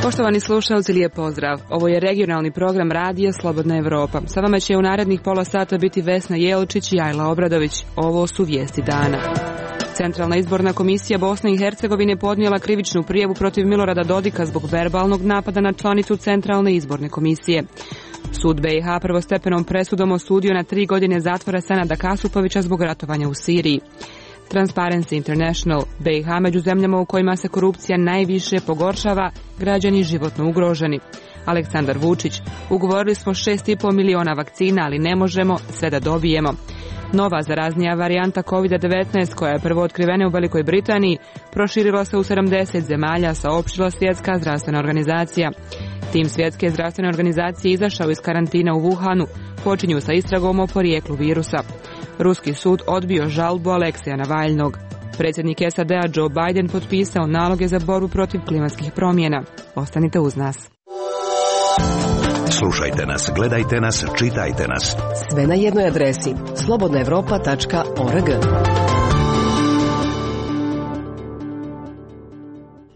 Poštovani slušalci, lijep pozdrav. Ovo je regionalni program Radija Slobodna Evropa. Sa vama će u narednih pola sata biti Vesna Jelčić i Ajla Obradović. Ovo su vijesti dana. Centralna izborna komisija Bosne i Hercegovine podnijela krivičnu prijavu protiv Milorada Dodika zbog verbalnog napada na članicu Centralne izborne komisije. Sud BiH prvostepenom presudom osudio na 3 godine zatvora Senada Kasupovića zbog ratovanja u Siriji. Transparency International, BiH među zemljama u kojima se korupcija najviše pogoršava, građani životno ugroženi. Aleksandar Vučić, ugovorili smo 6,5 miliona vakcina, ali ne možemo sve da dobijemo. Nova zaraznija varijanta COVID-19, koja je prvo otkrivena u Velikoj Britaniji, proširila se u 70 zemalja, saopštila Svjetska zdravstvena organizacija. Tim Svjetske zdravstvene organizacije izašao iz karantina u Wuhanu, počinju sa istragom o porijeklu virusa. Ruski sud odbio žalbu Alekseja Navalnog. Predsjednik SAD-a Joe Biden potpisao naloge za borbu protiv klimatskih promjena. Ostanite uz nas. Slušajte nas, gledajte nas, čitajte nas. Sve na jednoj adresi. slobodnaevropa.org.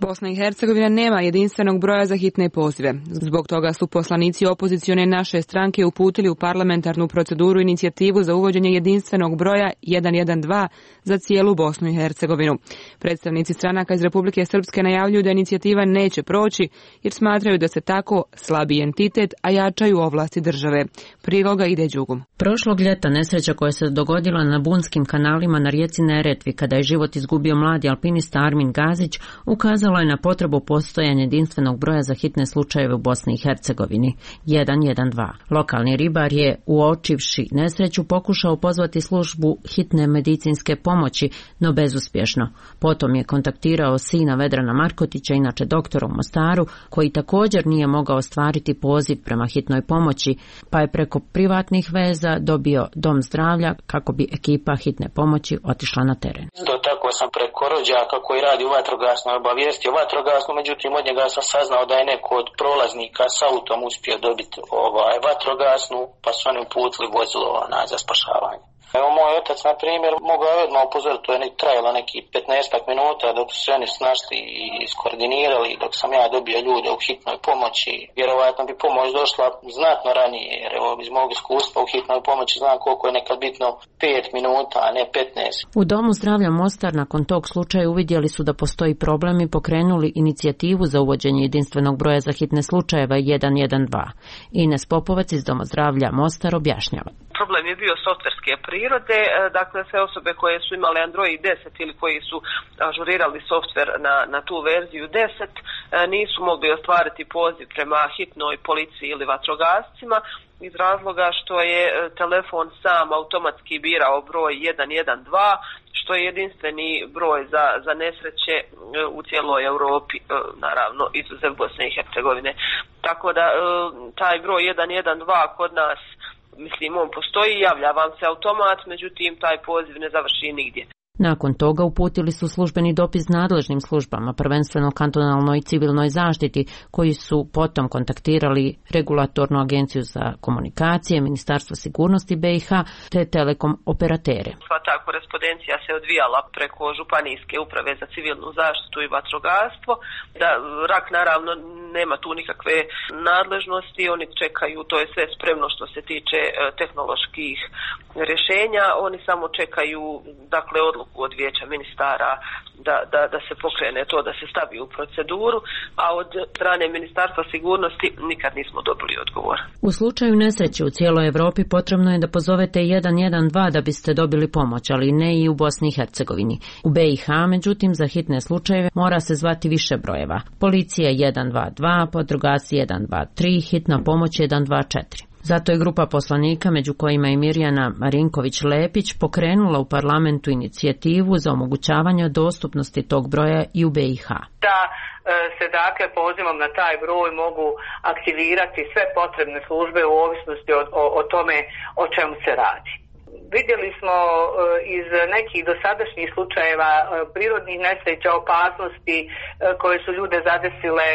Bosna i Hercegovina nema jedinstvenog broja za hitne pozive. Zbog toga su poslanici opozicione naše stranke uputili u parlamentarnu proceduru inicijativu za uvođenje jedinstvenog broja 112 za cijelu Bosnu i Hercegovinu. Predstavnici stranaka iz Republike Srpske najavljuju da inicijativa neće proći jer smatraju da se tako slabi entitet, a jačaju ovlasti države. Priloga ide Đugum. Prošlog ljeta nesreća koja se dogodila na bunskim kanalima na rijeci Neretvi kada je život izgubio mladi alpinista Armin Gazić ukazala je na potrebu postojanja jedinstvenog broja za hitne slučajeve u Bosni i Hercegovini 112. Lokalni ribar je, uočivši nesreću, pokušao pozvati službu hitne medicinske pomoći, no bezuspješno. Potom je kontaktirao sina Vedrana Markotića, inače doktora u Mostaru, koji također nije mogao ostvariti poziv prema hitnoj pomoći, pa je preko privatnih veza dobio dom zdravlja kako bi ekipa hitne pomoći otišla na teren. Tako sam preko rođaka koji radi u vatrogasnoj obavijestio vatrogasnu, međutim od njega sam saznao da je neko od prolaznika s autom uspio dobiti vatrogasnu, pa su oni uputili vozilo za spašavanje. Evo moj otac, na primjer, mogao je odmah upozoriti, to je trajalo neki 15 minuta dok su se oni snašli i iskoordinirali, dok sam ja dobio ljude u hitnoj pomoći. Vjerovatno bi pomoć došla znatno ranije, jer evo iz mog iskustva u hitnoj pomoći znam koliko je nekad bitno 5 minuta, a ne 15. U Domu zdravlja Mostar nakon tog slučaja uvidjeli su da postoji problem i pokrenuli inicijativu za uvođenje jedinstvenog broja za hitne slučajeva 112. Ines Popovac iz Doma zdravlja Mostar objašnjava. Problem je bio softverske prirode, dakle sve osobe koje su imale Android 10 ili koji su ažurirali softver na tu verziju 10 nisu mogli ostvariti poziv prema hitnoj policiji ili vatrogascima iz razloga što je telefon sam automatski birao broj 112, što je jedinstveni broj za nesreće u cijeloj Europi, naravno izuzev Bosne i Hercegovine. Tako da taj broj 112 kod nas, mislim, on postoji, javlja vam se automat, međutim taj poziv ne završi nigdje. Nakon toga uputili su službeni dopis nadležnim službama, prvenstveno kantonalnoj i civilnoj zaštiti, koji su potom kontaktirali regulatornu agenciju za komunikacije, Ministarstvo sigurnosti BiH te telekom operatere. Sva ta korespondencija se odvijala preko županijske uprave za civilnu zaštitu i vatrogastvo. Da RAK naravno nema tu nikakve nadležnosti, oni čekaju, to je sve spremno što se tiče tehnoloških rješenja, oni samo čekaju, dakle, odluku od vijeća ministara da se pokrene to, da se stavi u proceduru, a od strane Ministarstva sigurnosti nikad nismo dobili odgovor. U slučaju nesreće u cijeloj Europi potrebno je da pozovete 112 da biste dobili pomoć, ali ne i u Bosni i Hercegovini. U BiH, međutim, za hitne slučajeve mora se zvati više brojeva. Policija 122, vatrogasci 123, hitna pomoć 124. Zato je grupa poslanika, među kojima je Mirjana Marinković-Lepić, pokrenula u parlamentu inicijativu za omogućavanje dostupnosti tog broja i u BiH. Da se dakle pozivom na taj broj mogu aktivirati sve potrebne službe u ovisnosti o tome o čemu se radi. Vidjeli smo iz nekih dosadašnjih slučajeva prirodnih nesreća, opasnosti koje su ljude zadesile,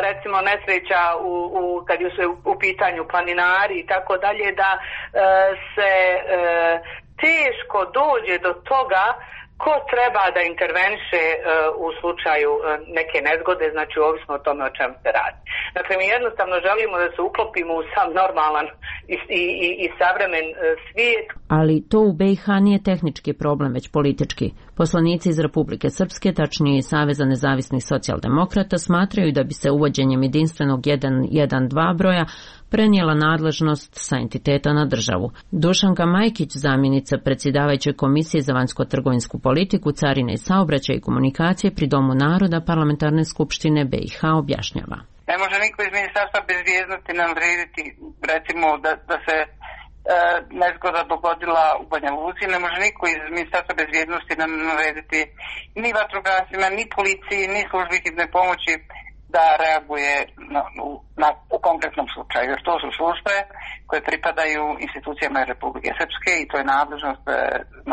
recimo nesreća kad su u pitanju planinari i tako dalje, da se teško dođe do toga ko treba da interveniše u slučaju neke nezgode, znači ovisno o tome o čemu se radi. Dakle, mi jednostavno želimo da se uklopimo u sam normalan i savremen svijet. Ali to u BiH nije tehnički problem, već politički. Poslanici iz Republike Srpske, tačnije Saveza nezavisnih socijaldemokrata, smatraju da bi se uvođenjem jedinstvenog 112 broja prenijela nadležnost sa entiteta na državu. Dušanka Majkić, zamjenica predsjedavajuće Komisije za vanjsko-trgovinsku politiku, carine i saobraćaj i komunikacije pri Domu naroda Parlamentarne skupštine BiH objašnjava. Ne može niko iz Ministarstva bezbjednosti narediti, recimo, da se nezgoda dogodila u Banja Luci, ne može niko iz Ministarstva bezbjednosti narediti ni vatrogascima, ni policiji, ni službi hitne pomoći da reaguje u konkretnom slučaju, jer to su službe koje pripadaju institucijama Republike Srpske i to je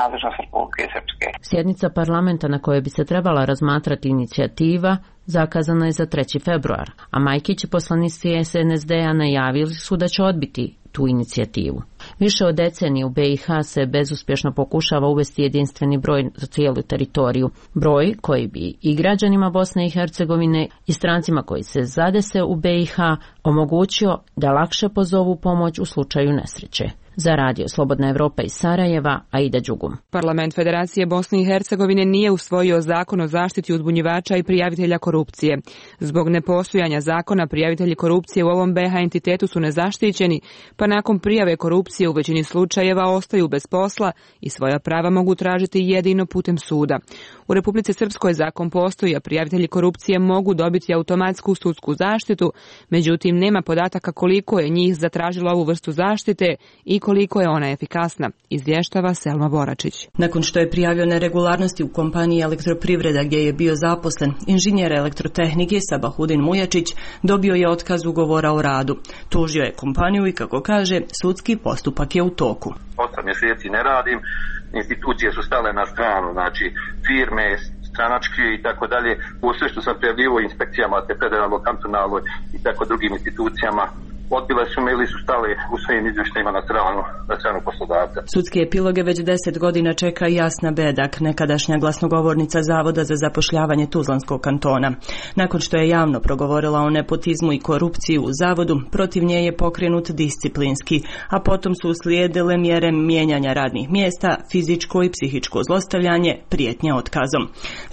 nadležnost Republike Srpske. Sjednica parlamenta na kojoj bi se trebala razmatrati inicijativa zakazana je za 3. februar, a Majkić i poslanici SNSD-a najavili su da će odbiti tu inicijativu. Više od decenije u BiH se bezuspješno pokušava uvesti jedinstveni broj za cijelu teritoriju. Broj koji bi i građanima Bosne i Hercegovine i strancima koji se zadese u BiH omogućio da lakše pozovu pomoć u slučaju nesreće. Za Radio Slobodna Evropa iz Sarajeva, Aida Đugum. Parlament Federacije Bosne i Hercegovine nije usvojio zakon o zaštiti uzbunjivača i prijavitelja korupcije. Zbog nepostojanja zakona, prijavitelji korupcije u ovom BiH entitetu su nezaštićeni, pa nakon prijave korupcije u većini slučajeva ostaju bez posla i svoja prava mogu tražiti jedino putem suda. U Republici Srpskoj zakon postoji, a prijavitelji korupcije mogu dobiti automatsku sudsku zaštitu, međutim nema podataka koliko je njih zatražilo ovu vrstu zaštite i koliko je ona efikasna, izvještava Selma Boračić. Nakon što je prijavio neregularnosti u kompaniji Elektroprivreda gdje je bio zaposlen, inženjer elektrotehnike Sabahudin Mujačić dobio je otkaz ugovora o radu. Tužio je kompaniju i, kako kaže, sudski postupak je u toku. 8 mjeseci ne radim, institucije su stale na stranu, znači firme, stranačke i tako dalje. U sve što sam prijavljivo inspekcijama, te federalno, kantonalno i tako drugim institucijama, odbile su me ili su stale u svojim izvještajima na stranu poslodavca. Sudske epiloge već 10 godina čeka Jasna Bedak, nekadašnja glasnogovornica Zavoda za zapošljavanje Tuzlanskog kantona. Nakon što je javno progovorila o nepotizmu i korupciji u zavodu, protiv nje je pokrenut disciplinski, a potom su uslijedile mjere mijenjanja radnih mjesta, fizičko i psihičko zlostavljanje, prijetnje otkazom.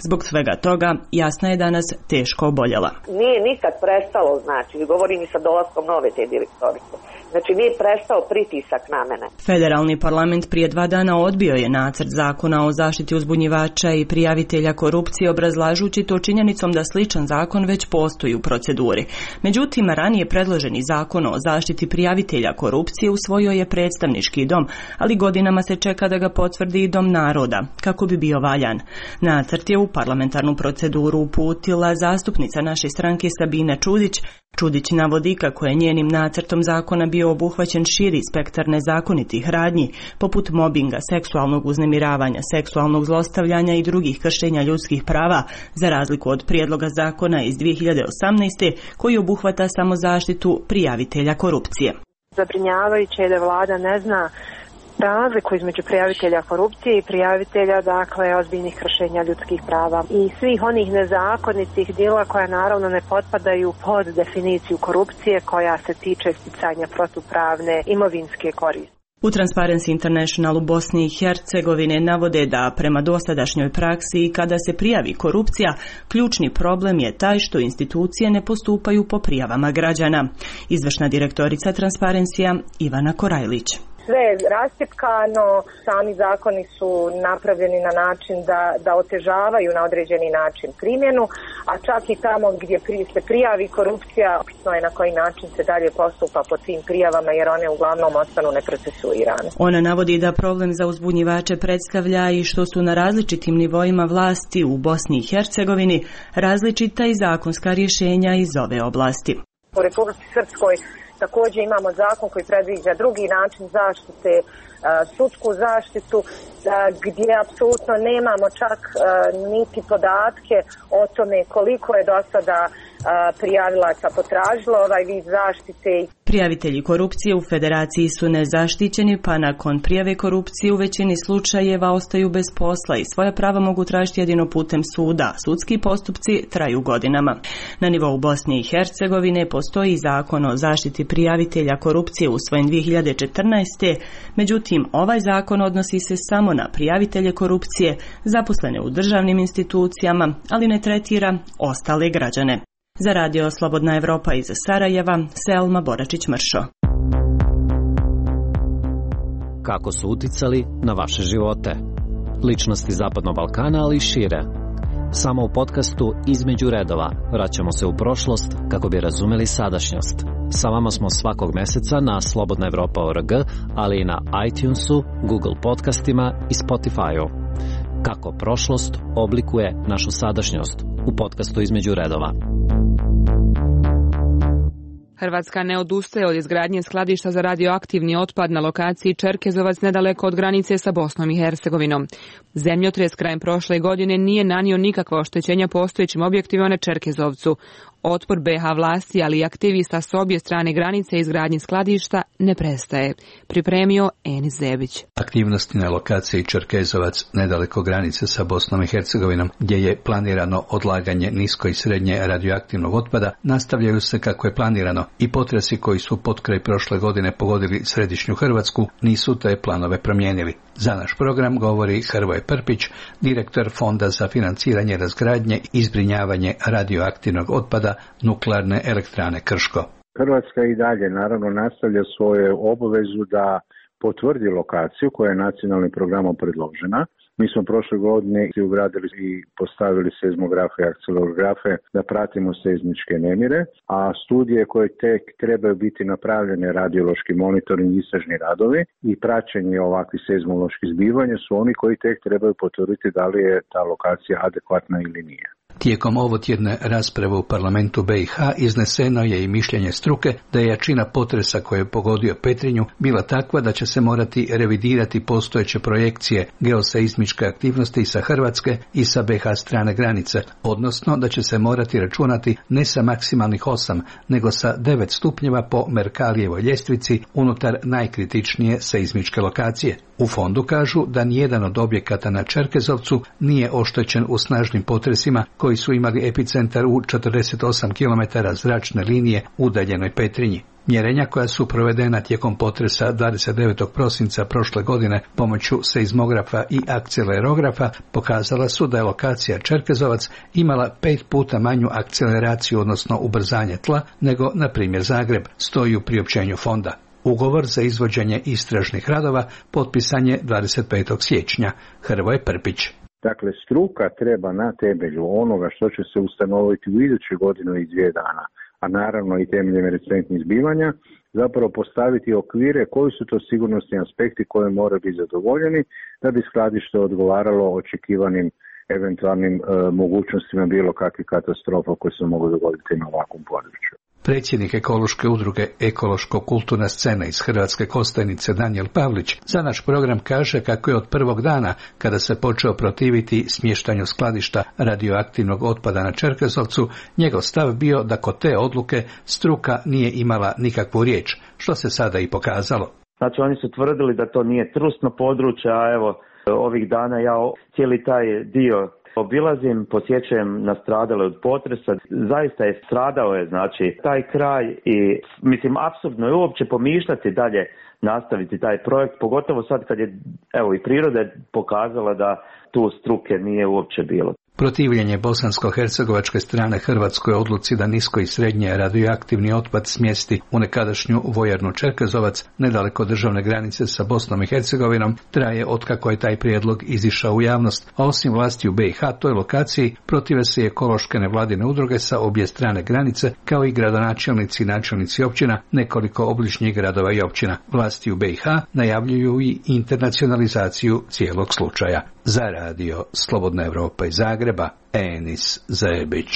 Zbog svega toga, Jasna je danas teško oboljela. Nije nikad prestalo, znači, govorim i sa dolaskom nove te direktorice. Znači, nije prestao pritisak na mene. Federalni parlament prije 2 dana odbio je nacrt zakona o zaštiti uzbunjivača i prijavitelja korupcije, obrazlažući to činjenicom da sličan zakon već postoji u proceduri. Međutim, ranije predloženi zakon o zaštiti prijavitelja korupcije usvojio je predstavnički dom, ali godinama se čeka da ga potvrdi i Dom naroda, kako bi bio valjan. Nacrt je u parlamentarnu proceduru uputila zastupnica naše stranke Sabina Čudić. Čudić navodi kako je njenim nacrtom zakona bio obuhvaćen širi spektar nezakonitih radnji, poput mobinga, seksualnog uznemiravanja, seksualnog zlostavljanja i drugih kršenja ljudskih prava, za razliku od prijedloga zakona iz 2018. koji obuhvata samo zaštitu prijavitelja korupcije. Zabrinjavajuće je da vlada ne zna razliku između prijavitelja korupcije i prijavitelja, dakle, ozbiljnih kršenja ljudskih prava i svih onih nezakonitih djela koja naravno ne potpadaju pod definiciju korupcije koja se tiče sticanja protupravne imovinske koristi. U Transparency International u Bosni i Hercegovine navode da prema dosadašnjoj praksi kada se prijavi korupcija, ključni problem je taj što institucije ne postupaju po prijavama građana. Izvršna direktorica Transparencija Ivana Korajlić. Sve je rascjepkano, sami zakoni su napravljeni na način da otežavaju na određeni način primjenu, a čak i tamo gdje se prijavi korupcija, bitno je na koji način se dalje postupa po tim prijavama jer one uglavnom ostanu neprocesuirane. Ona navodi da problem za uzbunjivače predstavlja i što su na različitim nivoima vlasti u Bosni i Hercegovini različita i zakonska rješenja iz ove oblasti. U Republici Srpskoj također imamo zakon koji predviđa drugi način zaštite, sudsku zaštitu, gdje apsolutno nemamo čak niti podatke o tome koliko je do sada prijavilaca potražilo ovaj vid zaštite. Prijavitelji korupcije u federaciji su nezaštićeni, pa nakon prijave korupcije u većini slučajeva ostaju bez posla i svoja prava mogu tražiti jedino putem suda. Sudski postupci traju godinama. Na nivou Bosne i Hercegovine postoji zakon o zaštiti prijavitelja korupcije usvojen 2014. Međutim, ovaj zakon odnosi se samo na prijavitelje korupcije zaposlene u državnim institucijama, ali ne tretira ostale građane. Za radio Slobodna Evropa iz Sarajeva, Selma Boračić-Mršo. Kako su uticali na vaše živote? Ličnosti Zapadnog Balkana, ali i šire. Samo u podcastu Između redova vraćamo se u prošlost kako bi razumeli sadašnjost. Sa vama smo svakog meseca na slobodnaevropa.org, ali i na iTunesu, Google podcastima i Spotify-u. Kako prošlost oblikuje našu sadašnjost u podcastu Između redova. Hrvatska ne odustaje od izgradnje skladišta za radioaktivni otpad na lokaciji Čerkezovac nedaleko od granice sa Bosnom i Hercegovinom. Zemljotres krajem prošle godine nije nanio nikakva oštećenja postojećim objektima na Čerkezovcu. Otpor BiH vlasti, ali i aktivista s obje strane granice izgradnje skladišta ne prestaje. Pripremio Enis Zebić. Aktivnosti na lokaciji Čerkezovac nedaleko granice sa Bosnom i Hercegovinom, gdje je planirano odlaganje nisko i srednje radioaktivnog otpada, nastavljaju se kako je planirano i potresi koji su potkraj prošle godine pogodili središnju Hrvatsku nisu te planove promijenili. Za naš program govori Hrvoje Prpić, direktor Fonda za financiranje razgradnje i zbrinjavanje radioaktivnog otpada Nuklearne elektrane Krško. Hrvatska i dalje naravno nastavlja svoju obavezu da potvrdi lokaciju koja je nacionalnim programom predložena. Mi smo prošle godine ugradili i postavili seizmografe i akcelerografe da pratimo seizmičke nemire, a studije koje tek trebaju biti napravljene, radiološki monitoring, istražni radovi i praćenje ovakvih seizmoloških zbivanja su oni koji tek trebaju potvrditi da li je ta lokacija adekvatna ili nije. Tijekom ovotjedne rasprave u parlamentu BiH izneseno je i mišljenje struke da je jačina potresa koji je pogodio Petrinju bila takva da će se morati revidirati postojeće projekcije geoseizmičke aktivnosti sa Hrvatske i sa BiH strane granice, odnosno da će se morati računati ne sa maksimalnih 8, nego sa 9 stupnjeva po Merkalijevoj ljestvici unutar najkritičnije seizmičke lokacije. U fondu kažu da nijedan od objekata na Čerkezovcu nije oštećen u snažnim potresima koji su imali epicentar u 48 km zračne linije udaljenoj Petrinji. Mjerenja koja su provedena tijekom potresa 29. prosinca prošle godine pomoću seizmografa i akcelerografa pokazala su da je lokacija Čerkezovac imala 5 puta manju akceleraciju, odnosno ubrzanje tla, nego, na primjer, Zagreb, stoji u priopćenju fonda. Ugovor za izvođenje istražnih radova potpisan je 25. siječnja. Hrvoje Prpić. Dakle, struka treba na temelju onoga što će se ustanoviti u idućoj godinu i 2 dana, a naravno i temeljem recentnih zbivanja, zapravo postaviti okvire koji su to sigurnosni aspekti koji moraju biti zadovoljeni da bi skladište odgovaralo očekivanim eventualnim mogućnostima bilo kakvih katastrofa koje se mogu dogoditi na ovakvom području. Predsjednik ekološke udruge Ekološko-kulturna scena iz Hrvatske Kostajnice Danijel Pavlić za naš program kaže kako je od prvog dana kada se počeo protiviti smještanju skladišta radioaktivnog otpada na Čerkezovcu, njegov stav bio da kod te odluke struka nije imala nikakvu riječ, što se sada i pokazalo. Znači oni su tvrdili da to nije trusno područje, a evo ovih dana ja cijeli taj dio obilazim, posjećujem nastradale od potresa, zaista je stradao je znači taj kraj i mislim apsurdno je uopće pomišljati dalje nastaviti taj projekt, pogotovo sad kad je evo i priroda pokazala da tu struke nije uopće bilo. Protivljenje bosansko-hercegovačke strane Hrvatskoj odluci da nisko i srednje radioaktivni otpad smjesti u nekadašnju vojarnu Čerkezovac nedaleko državne granice sa Bosnom i Hercegovinom traje otkako je taj prijedlog izišao u javnost, a osim vlasti u BiH toj lokaciji protive se i ekološke nevladine udruge sa obje strane granice, kao i gradonačelnici i načelnici općina nekoliko obližnjih gradova i općina. Vlasti u BiH najavljuju i internacionalizaciju cijelog slučaja. Za radio Slobodna Evropa iz Zagreba, Enis Zebić.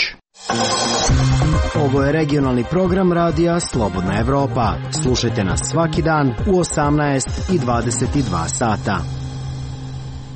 Ovo je regionalni program radija Slobodna Evropa. Slušajte nas svaki dan u 18 i 22 sata.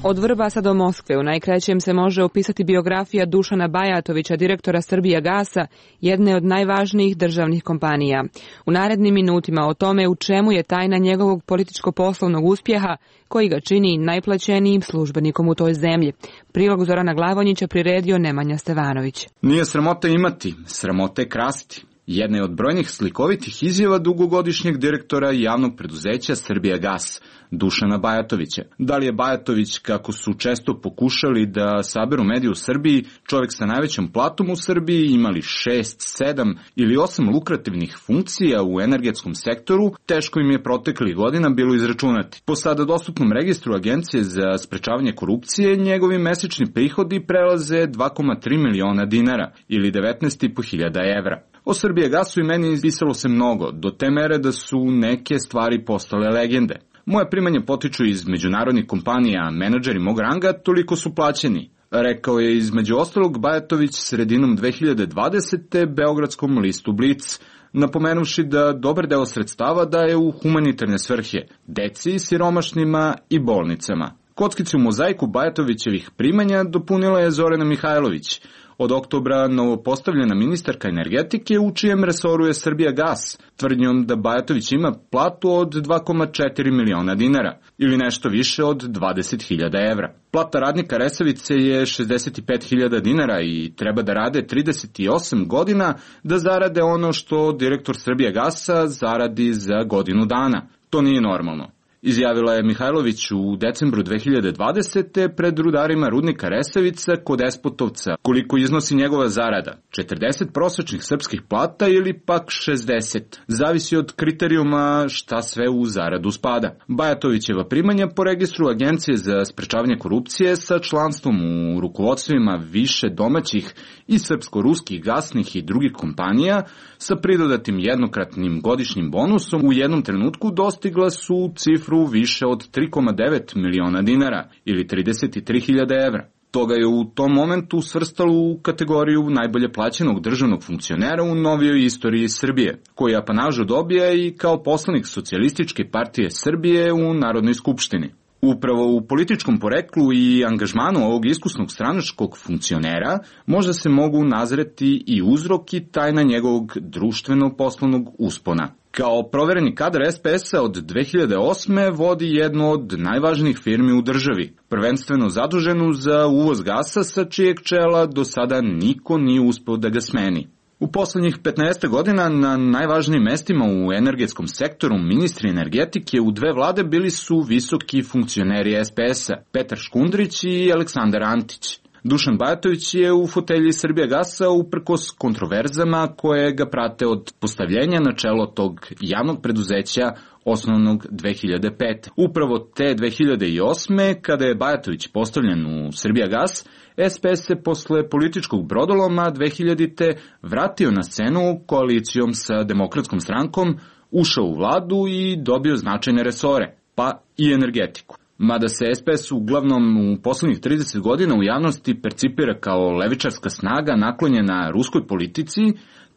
Od Vrbasa do Moskve u najkraćem se može opisati biografija Dušana Bajatovića, direktora Srbijagasa, jedne od najvažnijih državnih kompanija. U narednim minutima o tome u čemu je tajna njegovog političko-poslovnog uspjeha koji ga čini najplaćenijim službenikom u toj zemlji. Prilog Zorana Glavonjića priredio Nemanja Stevanović. Nije sramota imati, sramota je krasti. Jedna je od brojnih slikovitih izjava dugogodišnjeg direktora javnog preduzeća Srbijagas, Dušana Bajatovića. Da li je Bajatović, kako su često pokušali da saberu medije u Srbiji, čovjek sa najvećom platom u Srbiji, imali 6, 7 ili 8 lukrativnih funkcija u energetskom sektoru, teško im je proteklih godina bilo izračunati. Po sada dostupnom registru Agencije za sprečavanje korupcije, njegovi mesečni prihodi prelaze 2,3 miliona dinara ili 19.500 evra. O Srbijagasu i meni pisalo se mnogo, do te mere da su neke stvari postale legende. Moje primanja potiču iz međunarodnih kompanija, a menadžeri mog ranga toliko su plaćeni, rekao je između ostalog Bajatović sredinom 2020. Beogradskom listu Blic, napomenuvši da dobar deo sredstava daje u humanitarne svrhe, deci, siromašnima i bolnicama. Kockicu u mozaiku Bajatovićevih primanja dopunila je Zorana Mihajlović, od oktobra novopostavljena ministarka energetike u čijem resoru je Srbijagas, tvrdnjom da Bajatović ima platu od 2,4 miliona dinara ili nešto više od 20.000 evra. Plata radnika Resavice je 65.000 dinara i treba da rade 38 godina da zarade ono što direktor Srbijagasa zaradi za godinu dana. To nije normalno, izjavila je Mihajlović u decembru 2020. pred rudarima rudnika Resavica kod Despotovca. Koliko iznosi njegova zarada? 40 prosečnih srpskih plata ili pak 60? Zavisi od kriterijuma šta sve u zaradu spada. Bajatovićeva primanja po registru Agencije za sprečavanje korupcije sa članstvom u rukovodstvima više domaćih i srpsko-ruskih gasnih i drugih kompanija sa pridodatim jednokratnim godišnjim bonusom u jednom trenutku dostigla su cifru više od 3,9 miliona dinara ili 33.000 evra. Toga je u tom momentu svrstalo u kategoriju najbolje plaćenog državnog funkcionera u novijoj istoriji Srbije, koji apanažu dobija i kao poslanik Socijalističke partije Srbije u Narodnoj skupštini. Upravo u političkom poreklu i angažmanu ovog iskusnog stranačkog funkcionera možda se mogu nazreti i uzrok i tajna njegovog društveno-poslovnog uspona. Kao provereni kadar SPS-a od 2008. vodi jednu od najvažnijih firmi u državi, prvenstveno zaduženu za uvoz gasa sa čijeg čela do sada niko nije uspeo da ga smeni. U poslednjih 15 godina na najvažnijim mestima u energetskom sektoru ministri energetike u dve vlade bili su visoki funkcioneri SPS-a, Petar Škundrić i Aleksandar Antić. Dušan Bajatović je u fotelji Srbijagasa uprkos kontroverzama koje ga prate od postavljenja na čelo tog javnog preduzeća osnovnog 2005. Upravo te 2008. kada je Bajatović postavljen u Srbijagas, SPS se posle političkog brodoloma 2000. vratio na scenu koalicijom sa Demokratskom strankom, ušao u vladu i dobio značajne resore, pa i energetiku. Mada se SPS uglavnom u poslednjih 30 godina u javnosti percipira kao levičarska snaga naklonjena ruskoj politici,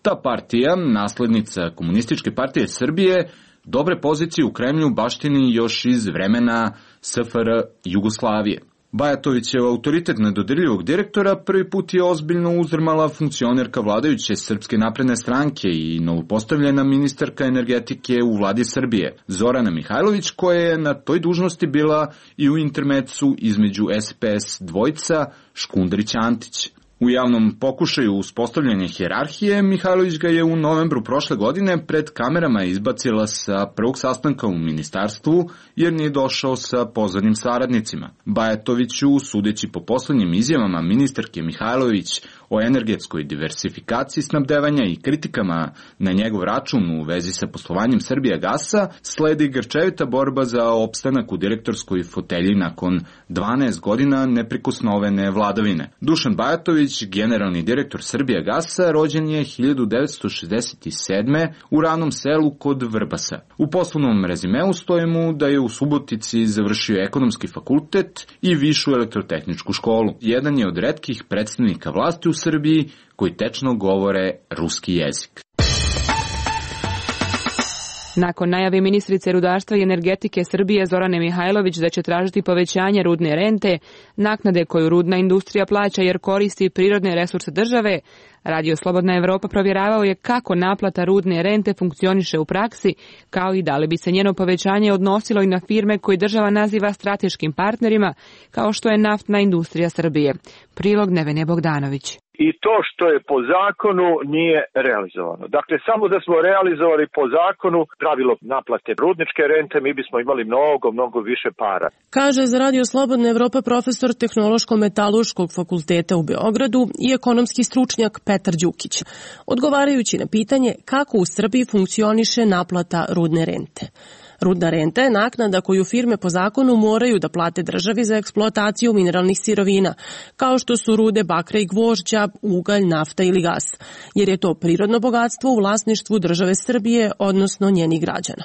ta partija, naslednica Komunističke partije Srbije, dobre pozicije u Kremlju baštini još iz vremena SFRJ Jugoslavije. Bajatovićev autoritet nedodirljivog direktora prvi put je ozbiljno uzdrmala funkcionerka vladajuće Srpske napredne stranke i novopostavljena ministarka energetike u vladi Srbije, Zorana Mihajlović, koja je na toj dužnosti bila i u intermecu između SPS dvojca Škundrić-Antić. U javnom pokušaju uspostavljanja hijerarhije, Mihajlović ga je u novembru prošle godine pred kamerama izbacila sa prvog sastanka u ministarstvu jer nije došao sa pozvanim saradnicima. Bajatoviću, sudeći po poslednjim izjavama ministarke Mihajlović o energetskoj diversifikaciji snabdevanja i kritikama na njegov račun u vezi sa poslovanjem Srbijagasa, sledi grčevita borba za opstanak u direktorskoj fotelji nakon 12 godina neprikosnovene vladavine. Dušan Bajatović, generalni direktor Srbijagasa, rođen je 1967. u Ravnom selu kod Vrbasa. U poslovnom rezimeu stoji mu da je u Subotici završio ekonomski fakultet i višu elektrotehničku školu. Jedan je od retkih predstavnika vlasti u Srbiji koji tečno govore ruski jezik. Nakon najave ministrice rudarstva i energetike Srbije Zorane Mihajlović da će tražiti povećanje rudne rente, naknade koju rudna industrija plaća jer koristi prirodne resurse države, Radio Slobodna Evropa provjeravao je kako naplata rudne rente funkcioniše u praksi, kao i da li bi se njeno povećanje odnosilo i na firme koje država naziva strateškim partnerima, kao što je naftna industrija Srbije. Prilog Nevene Bogdanović. I to što je po zakonu nije realizovano. Dakle, samo da smo realizovali po zakonu pravilo naplate rudničke rente, mi bismo imali mnogo više para. Kaže za Radio Slobodna Evropa profesor Tehnološko-metaloškog fakulteta u Beogradu i ekonomski stručnjak Petar Đukić, odgovarajući na pitanje kako u Srbiji funkcioniše naplata rudne rente. Rudna renta je naknada koju firme po zakonu moraju da plate državi za eksploataciju mineralnih sirovina, kao što su rude bakra i gvožđa, ugalj, nafta ili gas, jer je to prirodno bogatstvo u vlasništvu države Srbije, odnosno njenih građana.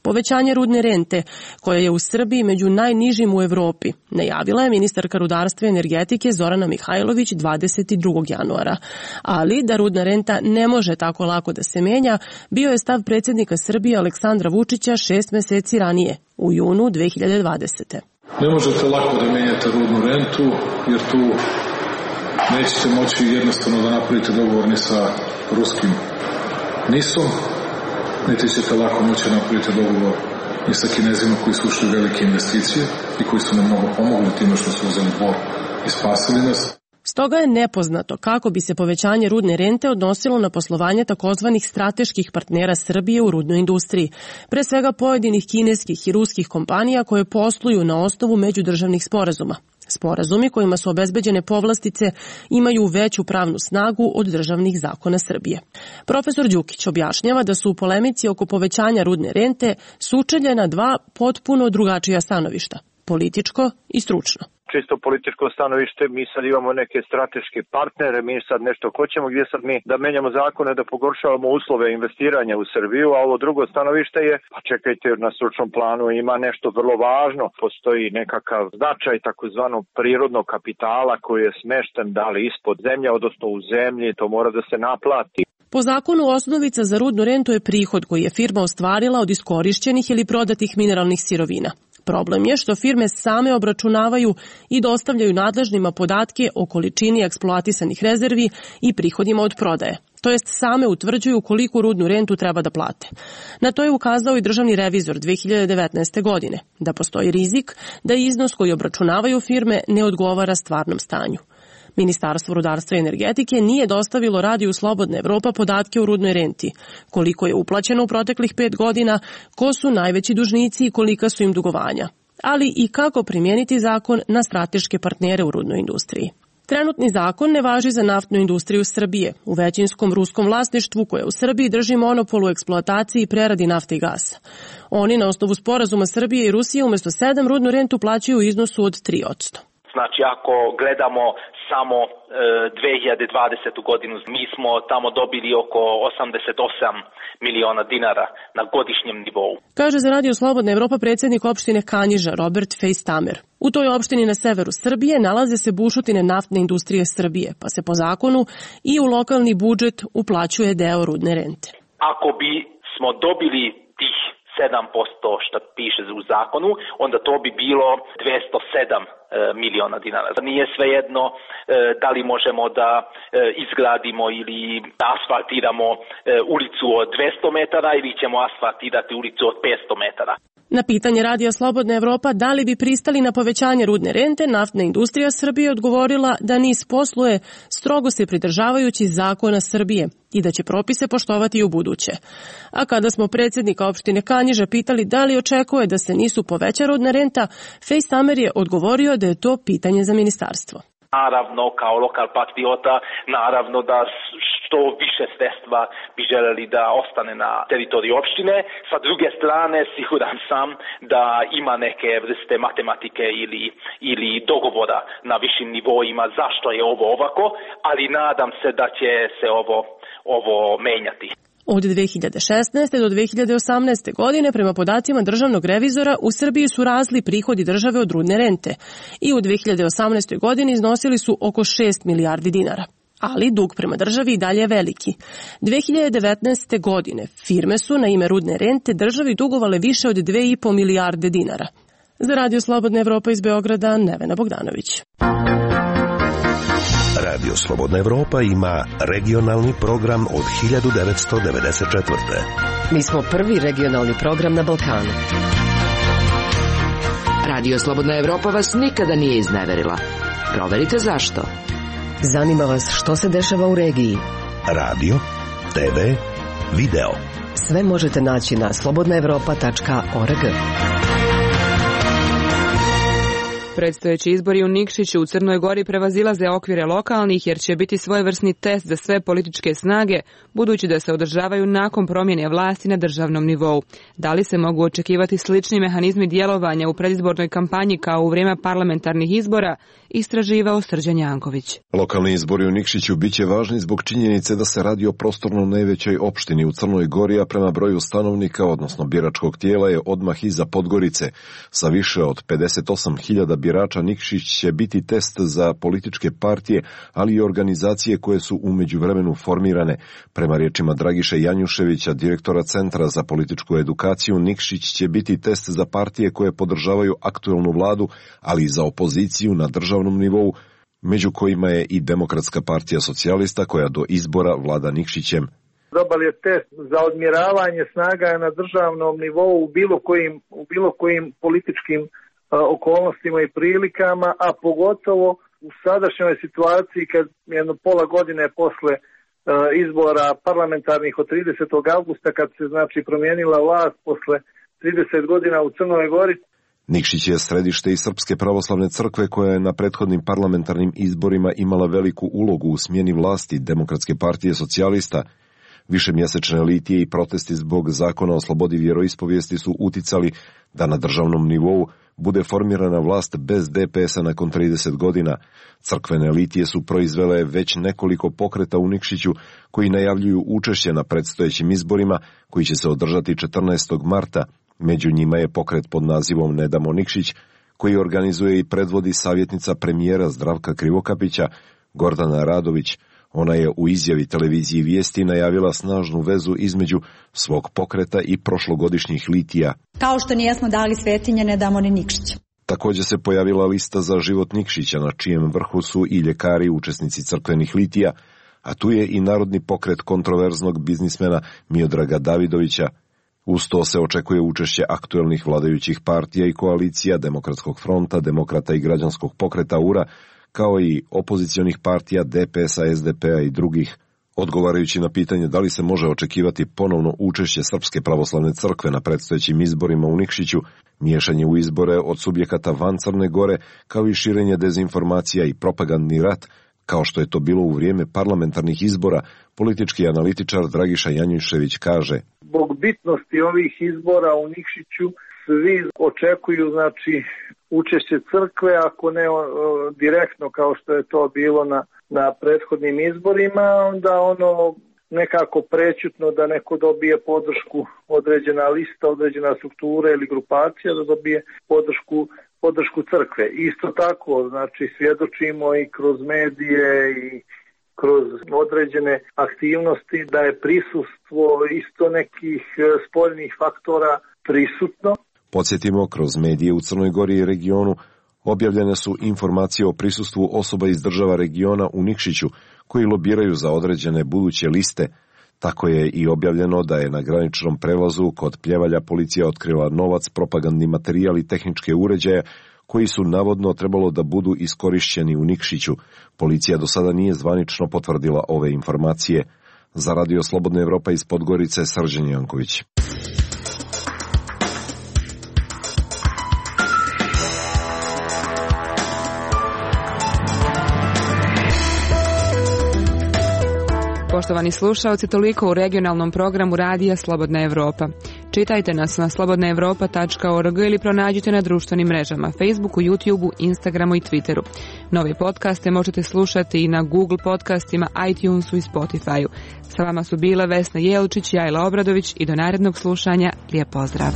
Povećanje rudne rente, koja je u Srbiji među najnižim u Evropi, najavila je ministarka rudarstva i energetike Zorana Mihajlović 22. januara. Ali da rudna renta ne može tako lako da se menja, bio je stav predsjednika Srbije Aleksandra Vučića 6 meseci ranije, u junu 2020. Ne možete lako da menjate rudnu rentu, jer tu nećete moći jednostavno da napravite dogovor ni sa ruskim NIS-om, niti ćete lako moći napraviti dogovor i sa Kinezima koji su ušli velike investicije i koji su nam mnogo pomogli time što su uzeli bor i spasili nas. Stoga je nepoznato kako bi se povećanje rudne rente odnosilo na poslovanje takozvanih strateških partnera Srbije u rudnoj industriji, pre svega pojedinih kineskih i ruskih kompanija koje posluju na osnovu međudržavnih sporazuma. Sporazumi kojima su obezbeđene povlastice imaju veću pravnu snagu od državnih zakona Srbije. Profesor Đukić objašnjava da su u polemici oko povećanja rudne rente sučeljena dva potpuno drugačija stanovišta, političko i stručno. Čisto političko stanovište, mi sad imamo neke strateške partnere, mi sad nešto hoćemo, gdje sad mi da menjamo zakone, da pogoršavamo uslove investiranja u Srbiju, a ovo drugo stanovište je, pa čekajte, na stručnom planu ima nešto vrlo važno, postoji nekakav značaj takozvanog prirodnog kapitala koji je smešten da li ispod zemlje, odnosno u zemlji, to mora da se naplati. Po zakonu osnovica za rudnu rentu je prihod koji je firma ostvarila od iskorišćenih ili prodatih mineralnih sirovina. Problem je što firme same obračunavaju i dostavljaju nadležnima podatke o količini eksploatisanih rezervi i prihodima od prodaje, to jest same utvrđuju koliku rudnu rentu treba da plate. Na to je ukazao i državni revizor 2019. godine, da postoji rizik da iznos koji obračunavaju firme ne odgovara stvarnom stanju. Ministarstvo rudarstva i energetike nije dostavilo Radiju Slobodna Evropa podatke o rudnoj renti, koliko je uplaćeno u proteklih 5 godina, ko su najveći dužnici i kolika su im dugovanja, ali i kako primijeniti zakon na strateške partnere u rudnoj industriji. Trenutni zakon ne važi za naftnu industriju Srbije, u većinskom ruskom vlasništvu koje u Srbiji drži monopol u eksploataciji i preradi nafte i gasa. Oni na osnovu sporazuma Srbije i Rusije umjesto 7 rudnu rentu plaćaju u iznosu od 3%. Znači, ako gledamo samo 2020. godinu, mi smo tamo dobili oko 88 miliona dinara na godišnjem nivou. Kaže za Radio Slobodna Evropa predsjednik opštine Kanjiža Robert Fejstamer. U toj opštini na severu Srbije nalaze se bušotine naftne industrije Srbije, pa se po zakonu i u lokalni budžet uplaćuje deo rudne rente. Ako bi smo dobili tih 7% što piše u zakonu, onda to bi bilo 207 miliona dinara. Nije svejedno da li možemo da izgradimo ili asfaltiramo ulicu od 200 metara ili ćemo asfaltirati ulicu od 500 metara. Na pitanje Radija Slobodna Evropa da li bi pristali na povećanje rudne rente, naftna industrija Srbije odgovorila da NIS posluje strogo se pridržavajući zakona Srbije i da će propise poštovati i u buduće. A kada smo predsjednika opštine Kanjiža pitali da li očekuje da se NIS-u poveća rudna renta, Fejstamer je odgovorio da je to pitanje za ministarstvo. Naravno, kao lokal patriota, naravno da što više sredstva bi želeli da ostane na teritoriju opštine. Sa druge strane, siguran sam da ima neke vrste matematike ili dogovora na višim nivoima zašto je ovo ovako, ali nadam se da će se ovo menjati. Od 2016. do 2018. godine, prema podacima državnog revizora, u Srbiji su rasli prihodi države od rudne rente i u 2018. godini iznosili su oko 6 milijardi dinara. ali dug prema državi i dalje je veliki. 2019. godine firme su na ime rudne rente državi dugovale više od 2,5 milijarde dinara. Za Radio Slobodna Evropa iz Beograda, Nevena Bogdanović. Radio Slobodna Evropa ima regionalni program od 1994. Mi smo prvi regionalni program na Balkanu. Radio Slobodna Evropa vas nikada nije izneverila. Proverite zašto. Zanima vas što se dešava u regiji. Radio, TV, video. Sve možete naći na slobodnaevropa.org. Predstojeći izbori u Nikšiću u Crnoj Gori prevazilaze okvire lokalnih jer će biti svojevrsni test za sve političke snage, budući da se održavaju nakon promjene vlasti na državnom nivou. Da li se mogu očekivati slični mehanizmi djelovanja u predizbornoj kampanji kao u vrijeme parlamentarnih izbora, istraživao Srđan Janković. Lokalni izbori u Nikšiću biće važni zbog činjenice da se radi o prostorno najvećoj opštini u Crnoj Gori, a prema broju stanovnika, odnosno biračkog tijela, je odmah iza Podgorice. Sa više od 58.000 birača Nikšić će biti test za političke partije, ali i organizacije koje su u međuvremenu formirane. Prema riječima Dragiše Janjuševića, direktora Centra za političku edukaciju, Nikšić će biti test za partije koje podržavaju aktuelnu vladu, ali i za opoziciju na državnom nivou, među kojima je i Demokratska partija socijalista koja do izbora vlada Nikšićem. Dobar je test za odmjeravanje snaga na državnom nivou u bilo kojim političkim okolnostima i prilikama, a pogotovo u sadašnjoj situaciji kad jedno pola godine posle izbora parlamentarnih od 30. avgusta, kad se promijenila vlast posle 30 godina u Crnoj Gori. Nikšić je središte i Srpske pravoslavne crkve koja je na prethodnim parlamentarnim izborima imala veliku ulogu u smjeni vlasti Demokratske partije socijalista. Višemjesečne litije i protesti zbog zakona o slobodi vjeroispovijesti su uticali da na državnom nivou bude formirana vlast bez DPS-a nakon 30 godina. Crkvene litije su proizvele već nekoliko pokreta u Nikšiću koji najavljuju učešće na predstojećim izborima koji će se održati 14. marta. Među njima je pokret pod nazivom Ne damo Nikšić, koji organizuje i predvodi savjetnica premijera Zdravka Krivokapića, Gordana Radović. Ona je u izjavi televiziji Vijesti najavila snažnu vezu između svog pokreta i prošlogodišnjih litija. Kao što nijesmo dali Svetinje, ne damo ni Nikšića. Također se pojavila lista za život Nikšića, na čijem vrhu su i ljekari učesnici crkvenih litija, a tu je i narodni pokret kontroverznog biznismena Miodraga Davidovića. Uz to se očekuje učešće aktuelnih vladajućih partija i koalicija Demokratskog fronta, Demokrata i građanskog pokreta URA, kao i opozicionih partija DPS-a, SDP-a i drugih. Odgovarajući na pitanje da li se može očekivati ponovno učešće Srpske pravoslavne crkve na predstojećim izborima u Nikšiću, miješanje u izbore od subjekata van Crne Gore, kao i širenje dezinformacija i propagandni rat, kao što je to bilo u vrijeme parlamentarnih izbora, politički analitičar Dragiša Janjušević kaže: Zbog bitnosti ovih izbora u Nikšiću svi očekuju učešće crkve, ako ne direktno kao što je to bilo na prethodnim izborima, onda nekako prećutno da neko dobije podršku, određena lista, određena struktura ili grupacija da dobije podršku crkve. Isto tako, svjedočimo i kroz medije i kroz određene aktivnosti da je prisustvo isto nekih spoljnih faktora prisutno. Podsjetimo, kroz medije u Crnoj Gori i regionu objavljene su informacije o prisustvu osoba iz država regiona u Nikšiću koji lobiraju za određene buduće liste. Tako je i objavljeno da je na graničnom prelazu kod Pljevalja policija otkrila novac, propagandni materijal i tehničke uređaje koji su navodno trebalo da budu iskorišćeni u Nikšiću. Policija do sada nije zvanično potvrdila ove informacije. Za Radio Slobodna Evropa iz Podgorice, Srđan Janković. Poštovani slušaoci, toliko u regionalnom programu Radija Slobodna Evropa. Čitajte nas na slobodnaevropa.org ili pronađite na društvenim mrežama Facebooku, YouTubeu, Instagramu i Twitteru. Nove podcaste možete slušati i na Google podcastima, iTunesu i Spotifyu. Sa vama su bile Vesna Jelčić i Ajla Obradović i do narednog slušanja. Lijep pozdrav.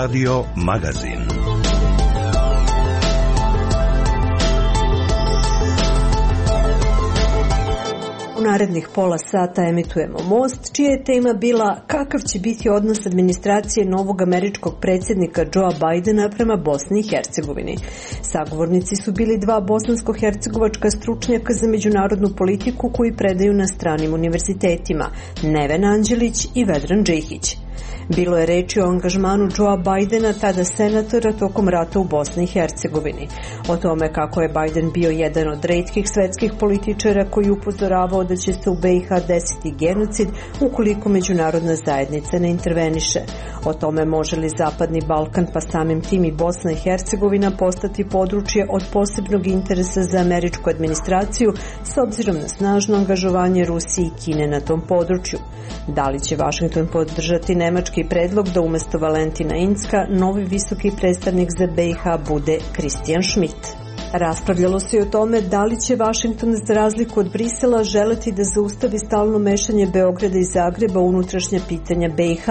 Radio Magazin. U narednih pola sata emitujemo Most, čija je tema bila kakav će biti odnos administracije novog američkog predsjednika Joea Bidena prema Bosni i Hercegovini. Sagovornici su bili dva bosansko-hercegovačka stručnjaka za međunarodnu politiku koji predaju na stranim univerzitetima, Neven Anđelić i Vedran Džihić. Bilo je reči o angažmanu Joea Bidena, tada senatora, tokom rata u Bosni i Hercegovini. O tome kako je Biden bio jedan od retkih svetskih političara koji upozoravao da će se u BiH desiti genocid ukoliko međunarodna zajednica ne interveniše. O tome može li Zapadni Balkan, pa samim tim i Bosna i Hercegovina, postati područje od posebnog interesa za američku administraciju s obzirom na snažno angažovanje Rusije i Kine na tom području. Da li će Vašington podržati nemački predlog da umjesto Valentina Incka novi visoki predstavnik za BiH bude Christian Schmidt? Raspravljalo se i o tome da li će Vašington za razliku od Brisela želeti da zaustavi stalno mešanje Beograda i Zagreba u unutrašnja pitanja BiH,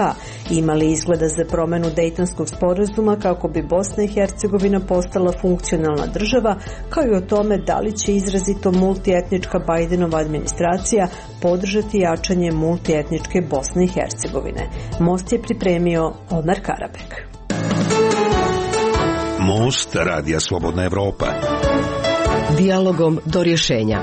ima li izgleda za promenu Dejtonskog sporazuma kako bi Bosna i Hercegovina postala funkcionalna država, kao i o tome da li će izrazito multietnička Bidenova administracija podržati jačanje multietničke Bosne i Hercegovine. Most je pripremio Omer Karabek. Most Radija Slobodna Evropa. Dijalogom do rješenja.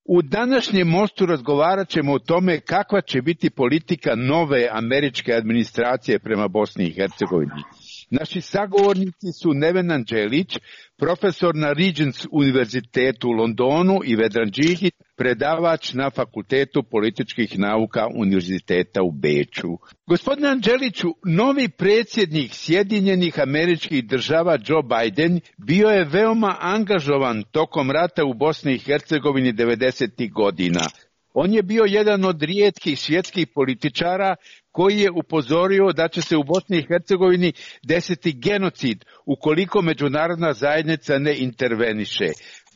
U današnjem Mostu razgovarat ćemo o tome kakva će biti politika nove američke administracije prema Bosni i Hercegovini. Naši sagovornici su Neven Anđelić, profesor na Regents univerzitetu u Londonu, i Vedran Džihić, predavač na Fakultetu političkih nauka Univerziteta u Beču. Gospodine Anđeliću, novi predsjednik Sjedinjenih Američkih Država Joe Biden bio je veoma angažovan tokom rata u Bosni i Hercegovini 90. godina. On je bio jedan od rijetkih svjetskih političara koji je upozorio da će se u Bosni i Hercegovini desiti genocid ukoliko međunarodna zajednica ne interveniše.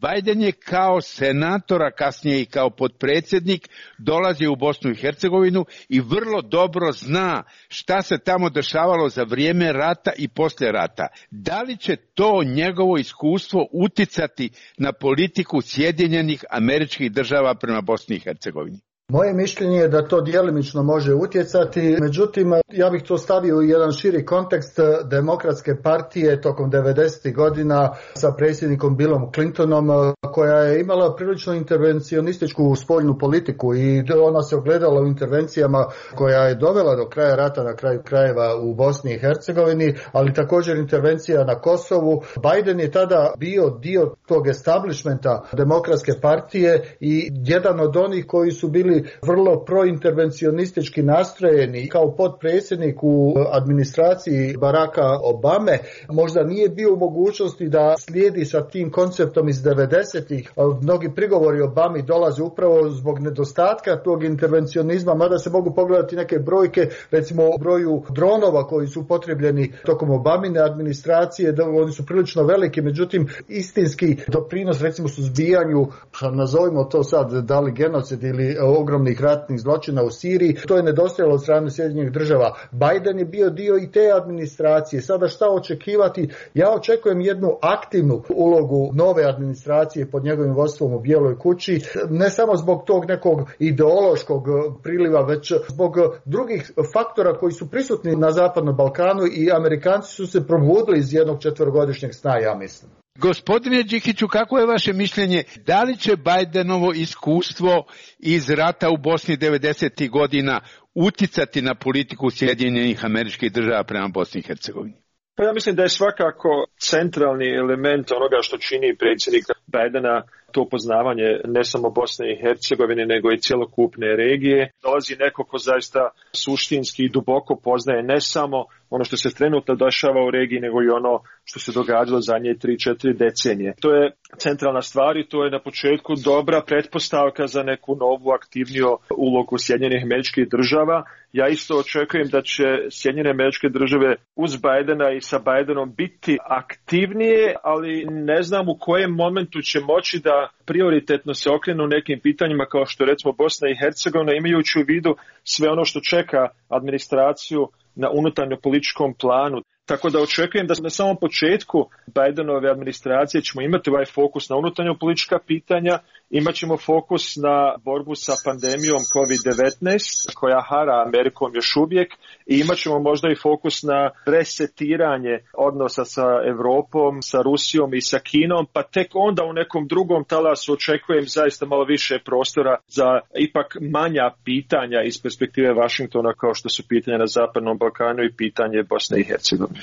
Biden je kao senator, a kasnije i kao potpredsjednik, dolazio u Bosnu i Hercegovinu i vrlo dobro zna šta se tamo dešavalo za vrijeme rata i poslije rata. Da li će to njegovo iskustvo uticati na politiku Sjedinjenih Američkih Država prema Bosni i Hercegovini? Moje mišljenje je da to djelimično može utjecati, međutim ja bih to stavio u jedan širi kontekst Demokratske partije tokom 90. godina sa predsjednikom Billom Clintonom, koja je imala prilično intervencionističku spoljnu politiku i ona se ogledala u intervencijama koja je dovela do kraja rata na kraju krajeva u Bosni i Hercegovini, ali također intervencija na Kosovu. Biden je tada bio dio tog establishmenta Demokratske partije i jedan od onih koji su bili vrlo prointervencionistički nastrojeni. Kao potpredsjednik u administraciji Baracka Obame možda nije bio u mogućnosti da slijedi sa tim konceptom iz 90-ih. Mnogi prigovori Obami dolaze upravo zbog nedostatka tog intervencionizma, mada se mogu pogledati neke brojke, recimo o broju dronova koji su upotrebljeni tokom Obamine administracije, da oni su prilično veliki, međutim istinski doprinos recimo suzbijanju, nazovimo to sad da li genocid ili ogromnih ratnih zločina u Siriji, to je nedostajalo od strane Sjedinjenih Država. Biden je bio dio i te administracije. Sada šta očekivati? Ja očekujem jednu aktivnu ulogu nove administracije pod njegovim vodstvom u Bijeloj kući, ne samo zbog tog nekog ideološkog priliva, već zbog drugih faktora koji su prisutni na Zapadnom Balkanu i Amerikanci su se probudili iz jednog 4-godišnjeg sna, ja mislim. Gospodine Džihiću, kako je vaše mišljenje? Da li će Bidenovo iskustvo iz rata u Bosni 90. godina uticati na politiku Sjedinjenih Američkih Država prema Bosni i Hercegovini? Pa ja mislim da je svakako centralni element onoga što čini predsjednika Bidena to poznavanje ne samo Bosne i Hercegovine, nego i cjelokupne regije. Dolazi neko ko zaista suštinski i duboko poznaje ne samo ono što se trenutno dešava u regiji, nego i ono što se događalo zadnje 3-4 decenije. To je centralna stvar i to je na početku dobra pretpostavka za neku novu aktivniju ulogu Sjedinjenih Američkih Država. Ja isto očekujem da će Sjedinjene Američke Države uz Bidena i sa Bidenom biti aktivnije, ali ne znam u kojem momentu će moći da prioritetno se okrenu nekim pitanjima kao što recimo Bosna i Hercegovina, imajući u vidu sve ono što čeka administraciju na unutarnjo političkom planu. Tako da očekujem da na samom početku Bidenove administracije ćemo imati ovaj fokus na unutarnjo politička pitanja, imat ćemo fokus na borbu sa pandemijom COVID-19 koja hara Amerikom još uvijek i imat ćemo možda i fokus na resetiranje odnosa sa Europom, sa Rusijom i sa Kinom, pa tek onda u nekom drugom talasu očekujem zaista malo više prostora za ipak manja pitanja iz perspektive Vašingtona kao što su pitanja na Zapadnom Balkanu i pitanje Bosne i Hercegovine.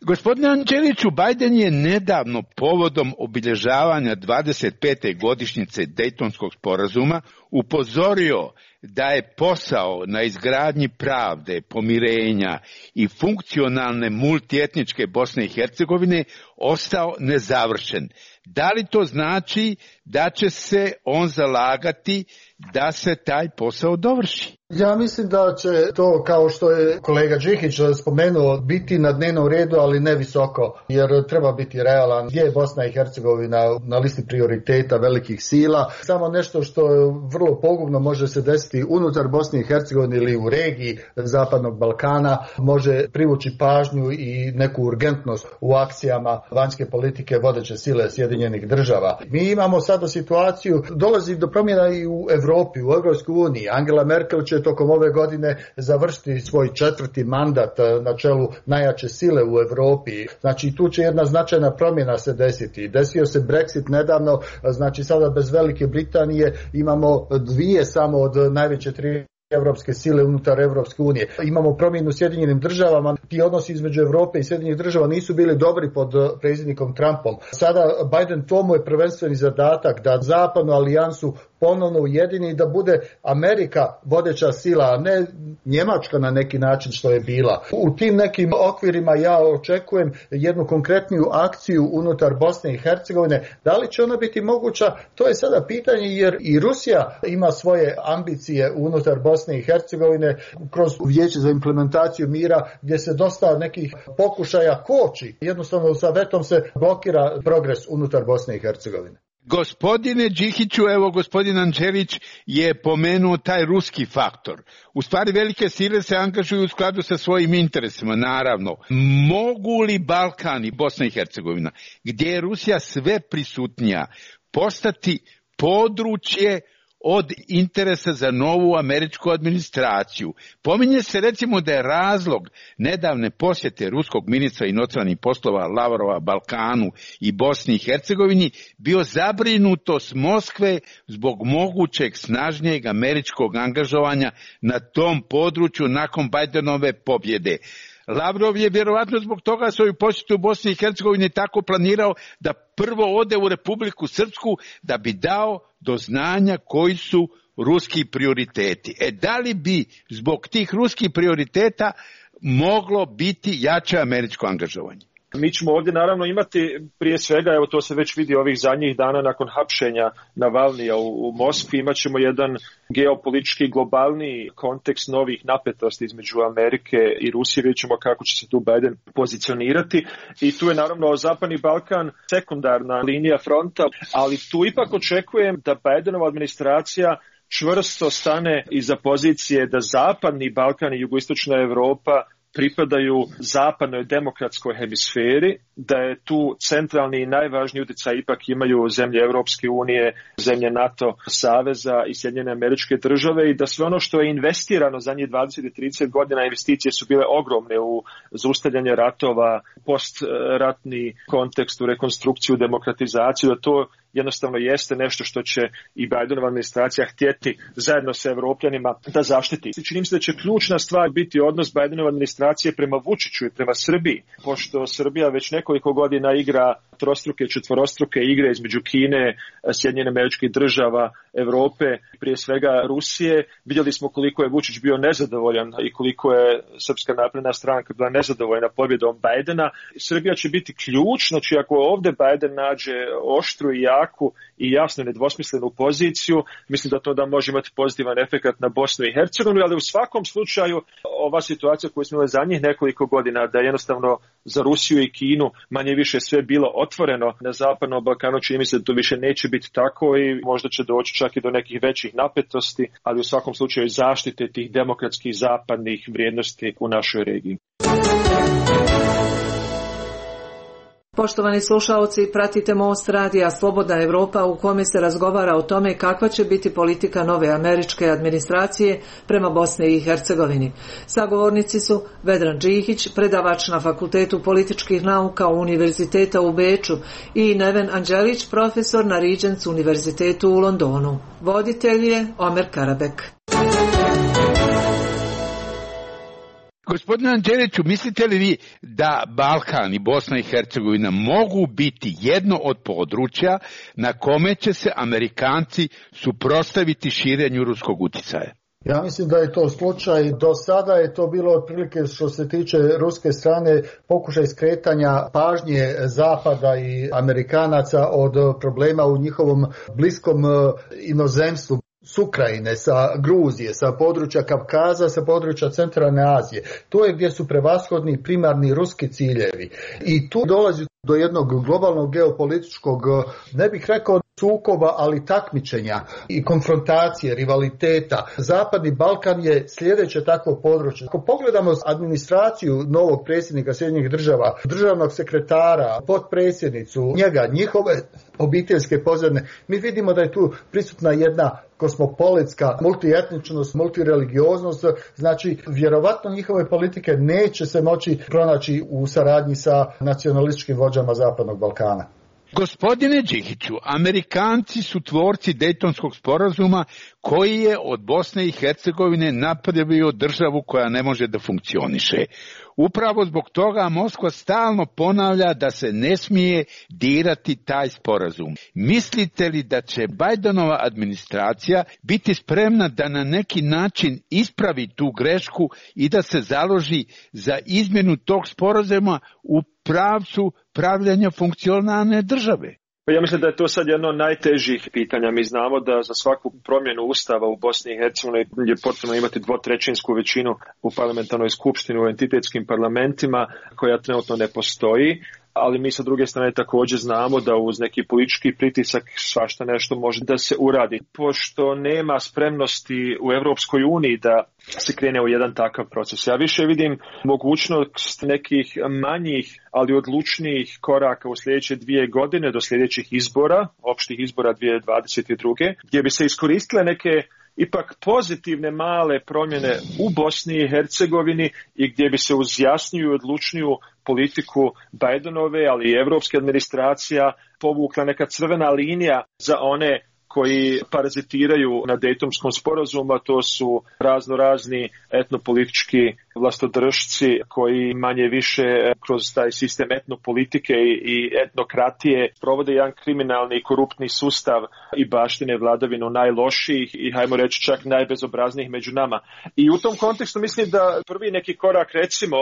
Gospodine Anđeliću, Biden je nedavno povodom obilježavanja 25. godišnjice Dejtonskog sporazuma upozorio da je posao na izgradnji pravde, pomirenja i funkcionalne multietničke Bosne i Hercegovine ostao nezavršen. Da li to znači da će se on zalagati da se taj posao dovrši? Ja mislim da će to, kao što je kolega Đikić spomenuo, biti na dnevnom redu, ali ne visoko, jer treba biti realan. Gdje je Bosna i Hercegovina na listi prioriteta velikih sila? Samo nešto što vrlo pogubno može se desiti unutar Bosne i Hercegovine ili u regiji Zapadnog Balkana, može privući pažnju i neku urgentnost u akcijama vanjske politike vodeće sile Sjedinjenih Država. Mi imamo sada situaciju, dolazi do promjena i u Europi, u Europskoj uniji. Angela Merkel će tokom ove godine završiti svoj 4. mandat na čelu najjače sile u Europi. Znači tu će jedna značajna promjena se desiti. Desio se Brexit nedavno, znači sada bez Velike Britanije imamo 2 samo od najveće 3 evropske sile unutar Evropske unije. Imamo promjenu u Sjedinjenim Državama. Ti odnosi između Europe i Sjedinjenih Država nisu bili dobri pod predsjednikom Trumpom. Sada Biden tomu je prvenstveni zadatak da zapadnu alijansu ponovno ujedini i da bude Amerika vodeća sila, a ne Njemačka na neki način što je bila. U tim nekim okvirima ja očekujem jednu konkretniju akciju unutar Bosne i Hercegovine. Da li će ona biti moguća? To je sada pitanje, jer i Rusija ima svoje ambicije unutar Bosne i Hercegovine kroz Vijeće za implementaciju mira, gdje se dosta nekih pokušaja koči. Jednostavno sa vetom se blokira progres unutar Bosne i Hercegovine. Gospodine Đikiću, evo gospodin Anđelić je pomenuo taj ruski faktor. U stvari velike sile se angažuju u skladu sa svojim interesima, naravno. Mogu li Balkan i Bosna i Hercegovina, gdje je Rusija sve prisutnija, postati područje od interesa za novu američku administraciju? Pominje se recimo da je razlog nedavne posjete ruskog ministra inostranih poslova Lavrova Balkanu i Bosni i Hercegovini bio zabrinutost Moskve zbog mogućeg snažnijeg američkog angažovanja na tom području nakon Bidenove pobjede. Lavrov je vjerovatno zbog toga svoju posjetu u Bosni i Hercegovini tako planirao da prvo ode u Republiku Srpsku da bi dao do znanja koji su ruski prioriteti. Da li bi zbog tih ruskih prioriteta moglo biti jače američko angažovanje? Mi ćemo ovdje naravno imati prije svega, evo to se već vidi ovih zadnjih dana nakon hapšenja Navalnija u Moskvi, imat ćemo jedan geopolitički globalni kontekst novih napetosti između Amerike i Rusije, vidjet ćemo kako će se tu Biden pozicionirati i tu je naravno Zapadni Balkan sekundarna linija fronta, ali tu ipak očekujem da Bidenova administracija čvrsto stane iza pozicije da Zapadni Balkan i jugoistočna Europa pripadaju zapadnoj demokratskoj hemisferi, da je tu centralni i najvažniji utjecaj ipak imaju zemlje Europske unije, zemlje NATO saveza i Sjedinjene Američke Države i da sve ono što je investirano zadnjih 20 i 30 godina, investicije su bile ogromne u zaustavljanje ratova, postratni kontekst, u rekonstrukciju, demokratizaciju, da to jednostavno jeste nešto što će i Bidenova administracija htjeti zajedno sa Evropljanima da zaštiti. Čini mi se da će ključna stvar biti odnos Bidenova administracije prema Vučiću i prema Srbiji, pošto Srbija već nekoliko godina igra trostruke, četvorostruke igre između Kine, Sjedinjenih Američkih Država, Europe, prije svega Rusije. Vidjeli smo koliko je Vučić bio nezadovoljan i koliko je Srpska napredna stranka bila nezadovoljna pobjedom Bidena. Srbija će biti ključ, znači ako ovdje Biden nađe oštru i jaku i jasno nedvosmislenu poziciju, mislim da to da može imati pozitivan efekt na Bosnu i Hercegovinu, ali u svakom slučaju ova situacija koju smo imali zadnjih nekoliko godina, da jednostavno za Rusiju i Kinu manje više sve bilo otvoreno na Zapadnom Balkanu, čini mi se da to više neće biti tako i možda će doći čak i do nekih većih napetosti, ali u svakom slučaju zaštite tih demokratskih zapadnih vrijednosti u našoj regiji. Poštovani slušaoci, pratite Most radija Slobodna Evropa u kome se razgovara o tome kakva će biti politika nove američke administracije prema Bosni i Hercegovini. Sagovornici su Vedran Džihić, predavač na Fakultetu političkih nauka Univerziteta u Beču i Neven Anđelić, profesor na Regents Univerzitetu u Londonu. Voditelj je Omer Karabek. Gospodine Anđeliću, mislite li vi da Balkan i Bosna i Hercegovina mogu biti jedno od područja na kome će se Amerikanci suprotstaviti širenju ruskog uticaja? Ja mislim da je to slučaj. Do sada je to bilo otprilike što se tiče ruske strane pokušaj skretanja pažnje Zapada i Amerikanaca od problema u njihovom bliskom inozemstvu. S Ukrajine, sa Gruzije, sa područja Kavkaza, sa područja Centralne Azije. To je gdje su prevashodni primarni ruski ciljevi. I tu dolazi do jednog globalnog geopolitičkog, ne bih rekao sukoba, ali takmičenja i konfrontacije, rivaliteta. Zapadni Balkan je sljedeće takvo područje. Ako pogledamo administraciju novog predsjednika Sjedinjenih država, državnog sekretara, potpredsjednicu, njihove obiteljske pozadine, mi vidimo da je tu prisutna jedna kosmopolitska multietničnost, multireligioznost, znači vjerovatno njihove politike neće se moći pronaći u saradnji sa nacionalističkim vođama Zapadnog Balkana. Gospodine Džihiću, Amerikanci su tvorci Dejtonskog sporazuma koji je od Bosne i Hercegovine napravio državu koja ne može da funkcioniše. Upravo zbog toga Moskva stalno ponavlja da se ne smije dirati taj sporazum. Mislite li da će Bajdenova administracija biti spremna da na neki način ispravi tu grešku i da se založi za izmjenu tog sporazuma u pravcu pravljanja funkcionalne države? Ja mislim da je to sad jedno od najtežih pitanja. Mi znamo da za svaku promjenu ustava u Bosni i Hercegovini je potrebno imati 2/3 većinu u parlamentarnoj skupštini, u entitetskim parlamentima, koja trenutno ne postoji. Ali mi sa druge strane također znamo da uz neki politički pritisak svašta nešto može da se uradi. Pošto nema spremnosti u Europskoj uniji da se krene u jedan takav proces. Ja više vidim mogućnost nekih manjih, ali odlučnijih koraka u sljedeće 2 godine do sljedećih izbora, opštih izbora 2022. gdje bi se iskoristile neke ipak pozitivne male promjene u Bosni i Hercegovini i gdje bi se uz jasniju i odlučniju politiku Bajdenove, ali i evropske administracija povukla neka crvena linija za one koji parazitiraju na Dejtonskom sporazumu, a to su razni etnopolitički vlastodržci koji manje više kroz taj sistem etnopolitike i etnokratije provode jedan kriminalni i koruptni sustav i baštine vladavinu najlošijih i hajmo reći čak najbezobraznijih među nama. I u tom kontekstu mislim da prvi neki korak, recimo,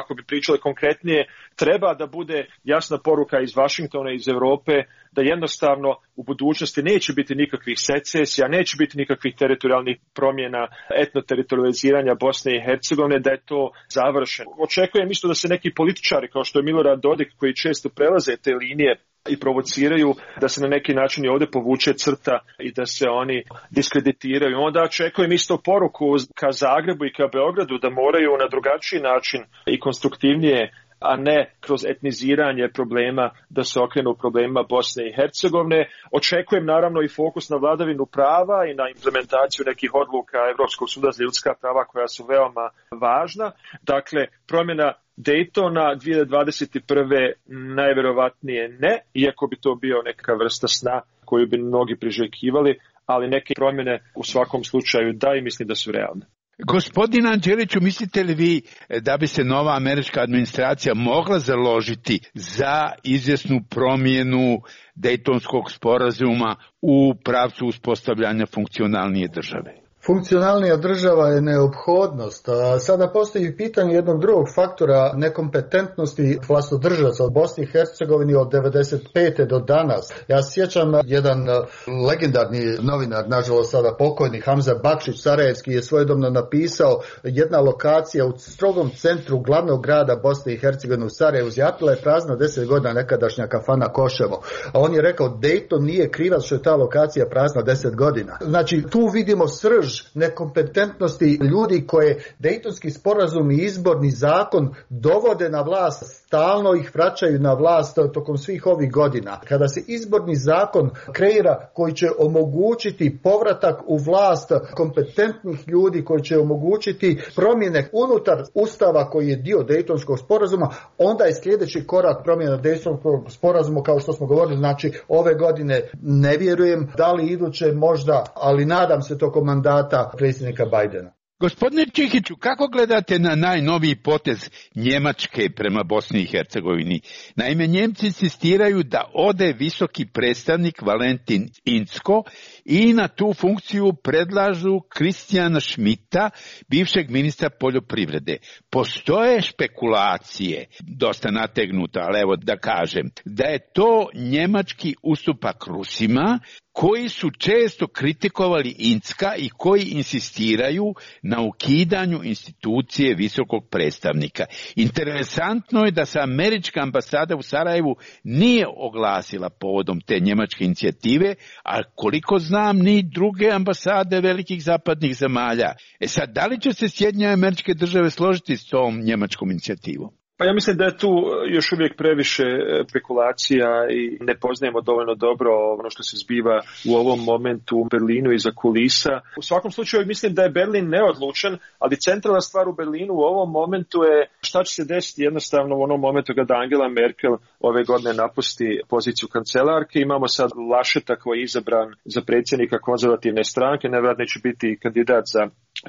ako bi pričali konkretnije, treba da bude jasna poruka iz Vašingtona, iz Europe, da jednostavno u budućnosti neće biti nikakvih secesija, neće biti nikakvih teritorijalnih promjena, etnoteritorializiranja Bosne i Hercegovine, da je to završeno. Očekujem isto da se neki političari, kao što je Milorad Dodik, koji često prelaze te linije i provociraju, da se na neki način i ovdje povuče crta i da se oni diskreditiraju. Onda očekujem isto poruku ka Zagrebu i ka Beogradu da moraju na drugačiji način i konstruktivnije, a ne kroz etniziranje problema, da se okrenu problemima Bosne i Hercegovine. Očekujem naravno i fokus na vladavinu prava i na implementaciju nekih odluka Europskog suda za ljudska prava koja su veoma važna. Dakle, promjena Daytona 2021. najvjerovatnije ne, iako bi to bio neka vrsta sna koju bi mnogi priželjkivali, ali neke promjene u svakom slučaju da i mislim da su realne. Gospodine Anđeliću, mislite li vi da bi se nova američka administracija mogla založiti za izvjesnu promjenu Dejtonskog sporazuma u pravcu uspostavljanja funkcionalnije države? Funkcionalnija država je neophodnost. Sada postoji pitanje jednog drugog faktora nekompetentnosti vlastodržaca od Bosni i Hercegovini od 95. do danas. Ja sjećam jedan legendarni novinar, nažalost sada pokojni, Hamza Bakšić Sarajevski, je svojedobno napisao jedna lokacija u strogom centru glavnog grada Bosne i Hercegovine u Sarajevu. Zjapila je prazna 10 godina nekadašnja kafana Koševo. A on je rekao Dayton nije krivac što je ta lokacija prazna 10 godina. Znači tu vidimo srž nekompetentnosti ljudi koje Dejtonski sporazum i izborni zakon dovode na vlast, stalno ih vraćaju na vlast tokom svih ovih godina. Kada se izborni zakon kreira koji će omogućiti povratak u vlast kompetentnih ljudi, koji će omogućiti promjene unutar ustava koji je dio Dejtonskog sporazuma, onda je sljedeći korak promjena Dejtonskog sporazuma, kao što smo govorili, znači ove godine ne vjerujem, da li iduće možda, ali nadam se tokom mandata predsjednika Bajdena. Gospodine Čihiću, kako gledate na najnoviji potez Njemačke prema Bosni i Hercegovini? Naime, Njemci insistiraju da ode visoki predstavnik Valentin Incko i na tu funkciju predlažu Kristijana Schmidta, bivšeg ministra poljoprivrede. Postoje špekulacije, dosta nategnuto, ali evo da kažem, da je to njemački ustupak Rusima, koji su često kritikovali Incka i koji insistiraju na ukidanju institucije visokog predstavnika. Interesantno je da se američka ambasada u Sarajevu nije oglasila povodom te njemačke inicijative, a koliko znam ni druge ambasade velikih zapadnih zemalja. Sad, da li će se Sjedinjene Američke Države složiti s tom njemačkom inicijativom? Pa ja mislim da je tu još uvijek previše spekulacija i ne poznajemo dovoljno dobro ono što se zbiva u ovom momentu u Berlinu iza kulisa. U svakom slučaju mislim da je Berlin neodlučan, ali centralna stvar u Berlinu u ovom momentu je šta će se desiti jednostavno u onom momentu kada Angela Merkel ove godine napusti poziciju kancelarke. Imamo sad Lascheta koji je izabran za predsjednika konzervativne stranke, nevjerojatno će biti kandidat za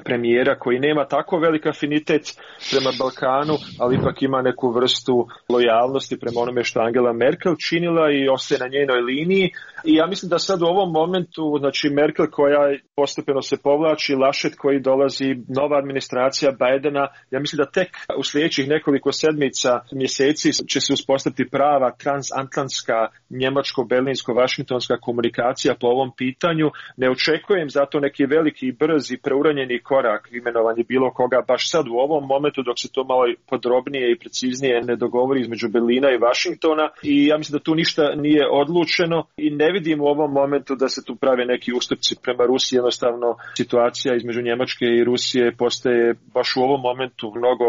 premijera koji nema tako velik afinitet prema Balkanu, ali ipak ima neku vrstu lojalnosti prema onome što Angela Merkel činila i ostaje na njenoj liniji. I ja mislim da sad u ovom momentu, znači Merkel koja postepeno se povlači, Laschet koji dolazi, nova administracija Bajdena, ja mislim da tek u sljedećih nekoliko sedmica, mjeseci će se uspostaviti prava transatlantska, njemačko-berlinsko-vašingtonska komunikacija po ovom pitanju. Ne očekujem zato neki veliki, brzi, preuranjeni korak imenovanje bilo koga baš sad u ovom momentu dok se to malo podrobnije i preciznije ne dogovori između Berlina i Vašingtona i ja mislim da tu ništa nije odlučeno i ne vidim u ovom momentu da se tu prave neki ustupci prema Rusiji. Jednostavno situacija između Njemačke i Rusije postaje baš u ovom momentu mnogo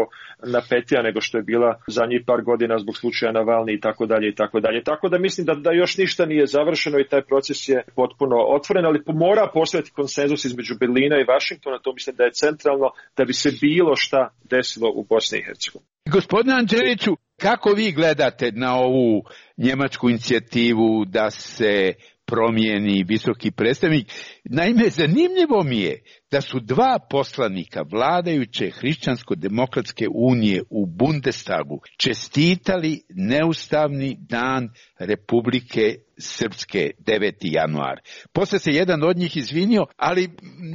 napetija nego što je bila zadnjih par godina zbog slučaja Navalni i tako dalje i tako dalje. Tako da mislim da još ništa nije završeno i taj proces je potpuno otvoren, ali mora postojati konsenzus između Berlina i Vašingtona, to mislim da je centralno da bi se bilo šta desilo u Bosni i Hercegovini. Gospodine Anđeliću, kako vi gledate na ovu njemačku inicijativu da se promijeni visoki predstavnik? Naime, zanimljivo mi je da su dva poslanika vladajuće Hrišćansko-demokratske unije u Bundestagu čestitali neustavni dan Republike Srpske 9. januar. Poslije se jedan od njih izvinio, ali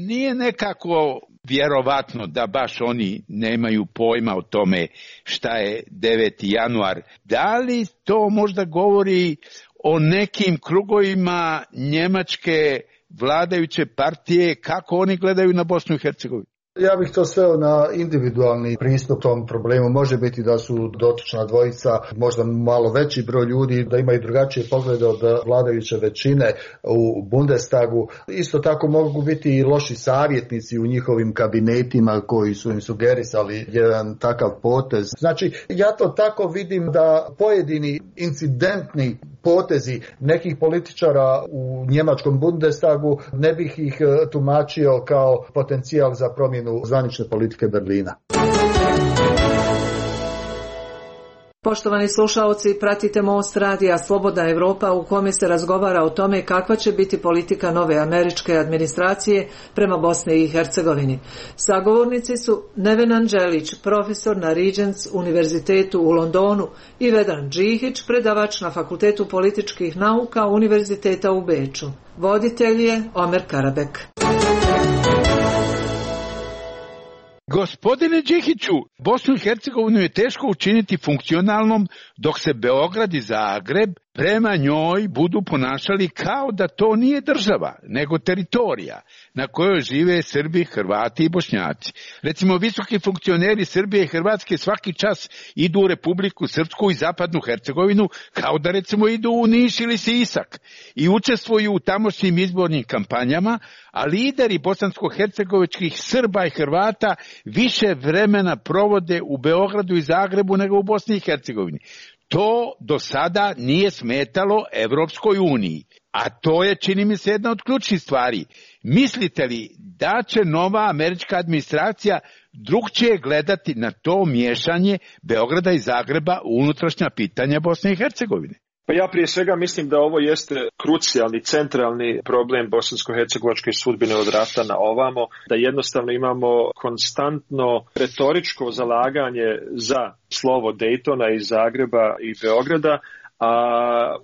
nije nekako vjerovatno da baš oni nemaju pojma o tome šta je 9. januar. Da li to možda govori o nekim krugovima njemačke vladajuće partije, kako oni gledaju na Bosnu i Hercegovinu? Ja bih to sveo na individualni pristup tom problemu. Može biti da su dotična dvojica možda malo veći broj ljudi, da imaju drugačije poglede od vladajuće većine u Bundestagu. Isto tako mogu biti i loši savjetnici u njihovim kabinetima koji su im sugerisali jedan takav potez. Znači, ja to tako vidim da pojedini incidentni potezi nekih političara u njemačkom Bundestagu ne bih ih tumačio kao potencijal za promjenu zvanične politike Berlina. Poštovani slušaoci, pratite Most radija Slobodna Evropa u kome se razgovara o tome kakva će biti politika nove američke administracije prema Bosni i Hercegovini. Sagovornici su Neven Anđelić, profesor na Regents univerzitetu u Londonu i Vedran Džihić, predavač na Fakultetu političkih nauka Univerziteta u Beču. Voditelj je Omer Karabek. Gospodine Đikiću, Bosnu i Hercegovinu je teško učiniti funkcionalnom dok se Beograd i Zagreb prema njoj budu ponašali kao da to nije država, nego teritorija na kojoj žive Srbi, Hrvati i Bošnjaci. Recimo, visoki funkcioneri Srbije i Hrvatske svaki čas idu u Republiku Srpsku i Zapadnu Hercegovinu kao da recimo idu u Niš ili Sisak i učestvuju u tamošnjim izbornim kampanjama, a lideri bosansko-hercegovičkih Srba i Hrvata više vremena provode u Beogradu i Zagrebu nego u Bosni i Hercegovini. To do sada nije smetalo Evropskoj uniji, a to je, čini mi se, jedna od ključnih stvari. Mislite li da će nova američka administracija drugčije gledati na to miješanje Beograda i Zagreba u unutrašnja pitanja Bosne i Hercegovine? Pa ja prije svega mislim da ovo jeste krucijalni, centralni problem bosansko-hercegovačke sudbine od rata na ovamo, da jednostavno imamo konstantno retoričko zalaganje za slovo Daytona iz Zagreba i Beograda, a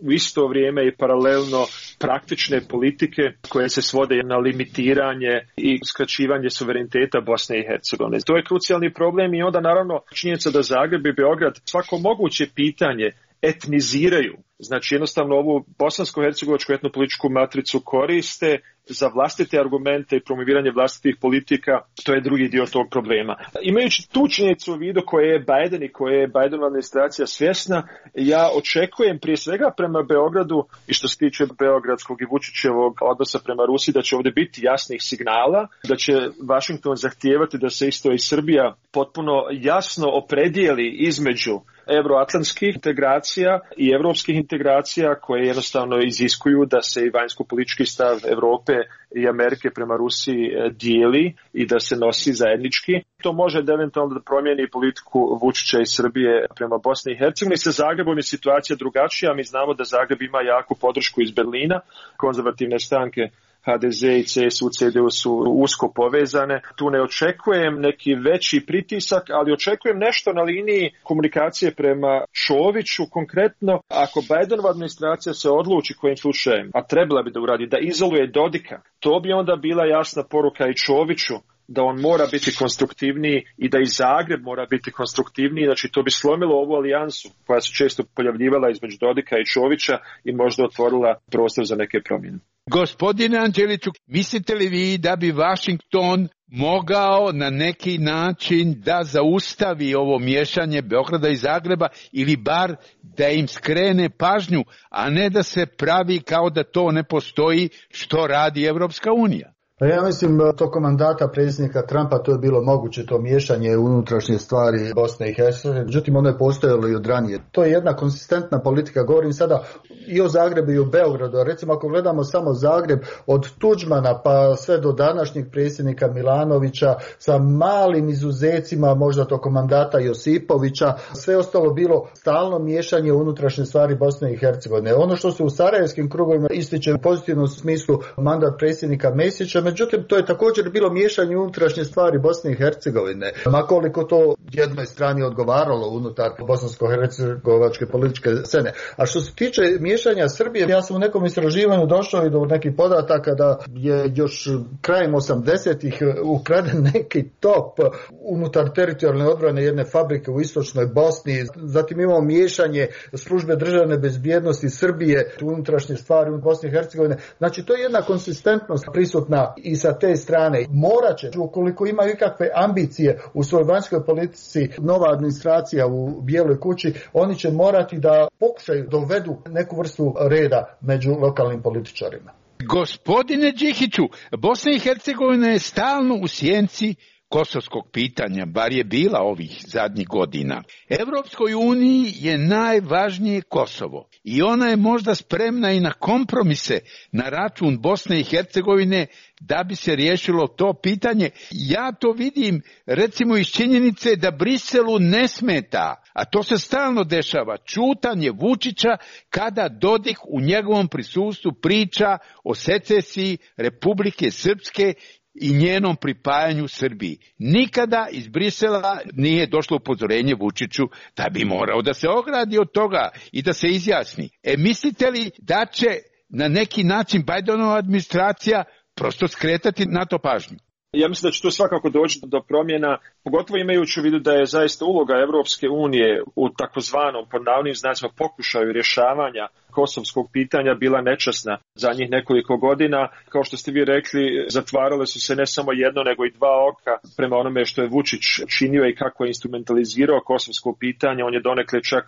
u isto vrijeme i paralelno praktične politike koje se svode na limitiranje i skraćivanje suvereniteta Bosne i Hercegovine. To je krucijalni problem i onda naravno činjenica da Zagreb i Beograd svako moguće pitanje etniziraju. Znači jednostavno ovu bosansko-hercegovačku etnopolitičku matricu koriste za vlastite argumente i promoviranje vlastitih politika, to je drugi dio tog problema. Imajući tu činjenicu u vidu koje je Biden i koje je Bidenova administracija svjesna, ja očekujem prije svega prema Beogradu i što se tiče beogradskog i Vučićevog odnosa prema Rusiji da će ovdje biti jasnih signala, da će Washington zahtijevati da se isto i Srbija potpuno jasno opredijeli između euroatlantskih integracija i evropskih integracija koje jednostavno iziskuju da se i vanjsko-politički stav Europe i Amerike prema Rusiji dijeli i da se nosi zajednički. To može da eventualno da promijeni politiku Vučića i Srbije prema Bosni i Hercegovini. Sa Zagrebom je situacija drugačija. Mi znamo da Zagreb ima jaku podršku iz Berlina, konzervativne stranke HDZ i CSU, CDU su usko povezane. Tu ne očekujem neki veći pritisak, ali očekujem nešto na liniji komunikacije prema Čoviću. Konkretno, ako Bidenova administracija se odluči kojim slučajem, a trebala bi da uradi, da izoluje Dodika, to bi onda bila jasna poruka i Čoviću da on mora biti konstruktivniji i da i Zagreb mora biti konstruktivniji. Znači to bi slomilo ovu alijansu koja se često pojavljivala između Dodika i Čovića i možda otvorila prostor za neke promjene. Gospodine Anđeliću, mislite li vi da bi Washington mogao na neki način da zaustavi ovo miješanje Beograda i Zagreba ili bar da im skrene pažnju, a ne da se pravi kao da to ne postoji što radi Evropska unija? Ja mislim tokom mandata predsjednika Trumpa to je bilo moguće, to miješanje unutrašnje stvari Bosne i Hercegovine, međutim ono je postojalo i od ranije. To je jedna konsistentna politika, govorim sada i o Zagrebu i o Beogradu. Recimo ako gledamo samo Zagreb od Tuđmana pa sve do današnjeg predsjednika Milanovića sa malim izuzecima možda tokom mandata Josipovića, sve ostalo bilo stalno miješanje unutrašnje stvari Bosne i Hercegovine. Ono što se u sarajevskim krugovima ističe u pozitivnom smislu mandat predsjednika Mesića, međutim, to je također bilo miješanje unutrašnje stvari Bosne i Hercegovine. Makoliko to jednoj strani odgovaralo unutar bosansko-hercegovačke političke scene. A što se tiče miješanja Srbije, ja sam u nekom istraživanju došao i do nekih podataka da je još krajem 80-ih ukraden neki top unutar teritorijalne odbrane jedne fabrike u istočnoj Bosni. Zatim imamo miješanje službe državne bezbjednosti Srbije, unutrašnje stvari u Bosni i Hercegovine. Znači, to je jedna konsistentnost prisutna i sa te strane. Morat će, ukoliko imaju ikakve ambicije u svojoj vanjskoj politici, nova administracija u Bijeloj kući, oni će morati da pokušaju dovedu neku vrstu reda među lokalnim političarima. Gospodine Đikiću, Bosna i Hercegovina je stalno u sjenci kosovskog pitanja, bar je bila ovih zadnjih godina. Evropskoj uniji je najvažnije Kosovo i ona je možda spremna i na kompromise na račun Bosne i Hercegovine da bi se riješilo to pitanje. Ja to vidim recimo iz činjenice da Briselu ne smeta, a to se stalno dešava, ćutanje Vučića kada Dodik u njegovom prisustvu priča o secesiji Republike Srpske i njenom pripajanju Srbiji. Nikada iz Brisela nije došlo upozorenje Vučiću da bi morao da se ogradi od toga i da se izjasni. Mislite li da će na neki način Bidenova administracija prosto skretati na to pažnju? Ja mislim da će tu svakako doći do promjena, pogotovo imajući u vidu da je zaista uloga Europske unije u takozvanom, pod navodnim znacima, pokušaju rješavanja kosovskog pitanja bila nečasna zadnjih nekoliko godina. Kao što ste vi rekli, zatvarale su se ne samo jedno, nego i dva oka prema onome što je Vučić činio i kako je instrumentalizirao kosovsko pitanje. On je donekle čak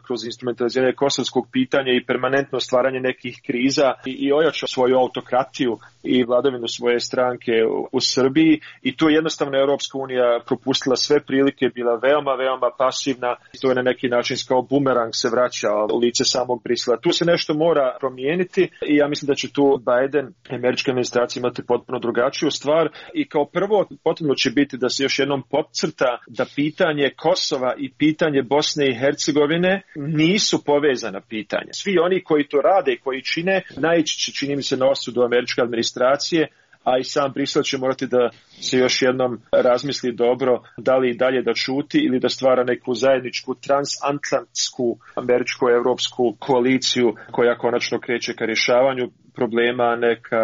kroz instrumentaliziranje kosovskog pitanja i permanentno stvaranje nekih kriza i ojačao svoju autokratiju i vladavinu svoje stranke u Srbiji. I tu je jednostavno Europska unija propustila sve prilike, bila veoma pasivna. To je na neki način kao bumerang se vraća u lice samog Brisela. Tu se nešto mora promijeniti i ja mislim da će tu Biden i američka administracija imati potpuno drugačiju stvar i kao prvo potrebno će biti da se još jednom podcrta da pitanje Kosova i pitanje Bosne i Hercegovine nisu povezana pitanja. Svi oni koji to rade i koji čine naići će, čini mi se, na osudu američke administracije, a i sam Brisel će morati da se još jednom razmisli dobro da li i dalje da ćuti ili da stvara neku zajedničku transatlantsku američko-evropsku koaliciju koja konačno kreće ka rješavanju problema, a ne ka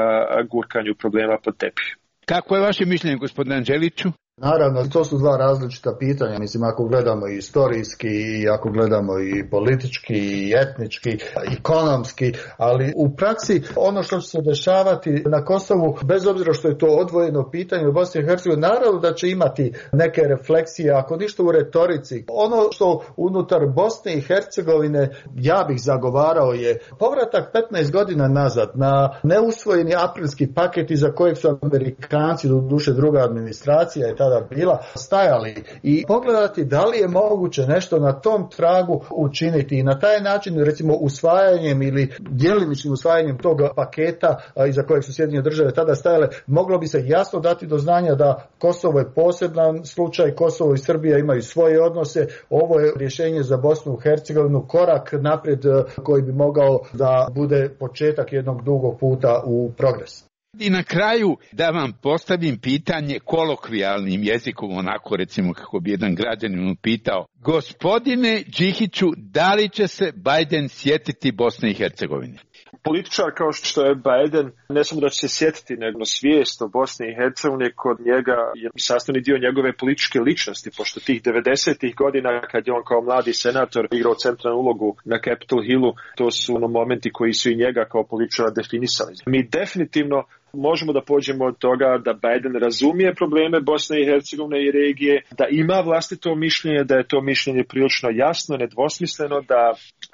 gurkanju problema pod tepih. Kako je vaše mišljenje, gospodine Anđeliću? Naravno, to su dva različita pitanja. Mislim, ako gledamo i istorijski, i ako gledamo i politički, i etnički, i ekonomski, ali u praksi ono što će se dešavati na Kosovu, bez obzira što je to odvojeno pitanje u Bosni i Hercegovini, naravno da će imati neke refleksije, ako ništa u retorici. Ono što unutar Bosne i Hercegovine ja bih zagovarao je povratak 15 godina nazad na neusvojeni aprilski paket iza kojeg su Amerikanci, doduše druga administracija je tada bila, stajali i pogledati da li je moguće nešto na tom tragu učiniti i na taj način, recimo usvajanjem ili djelimičnim usvajanjem tog paketa iza kojeg su Sjedinjene Države tada stajale, moglo bi se jasno dati do znanja da Kosovo je poseban slučaj, Kosovo i Srbija imaju svoje odnose, ovo je rješenje za Bosnu i Hercegovinu, korak naprijed koji bi mogao da bude početak jednog dugog puta u progres. I na kraju da vam postavim pitanje kolokvijalnim jezikom, onako recimo kako bi jedan građanin pitao. Gospodine Đihiću, da li će se Biden sjetiti Bosne i Hercegovine? Političar kao što je Biden, ne samo da će se sjetiti, nego svijest o Bosni i Hercegovini kod njega je sastavni dio njegove političke ličnosti, pošto tih 90-ih godina kad je on kao mladi senator igrao centralnu ulogu na Capitol Hillu, to su momenti koji su i njega kao političara definisali. Mi definitivno možemo da pođemo od toga da Biden razumije probleme Bosne i Hercegovine i regije, da ima vlastito mišljenje, da je to mišljenje prilično jasno, nedvosmisleno, da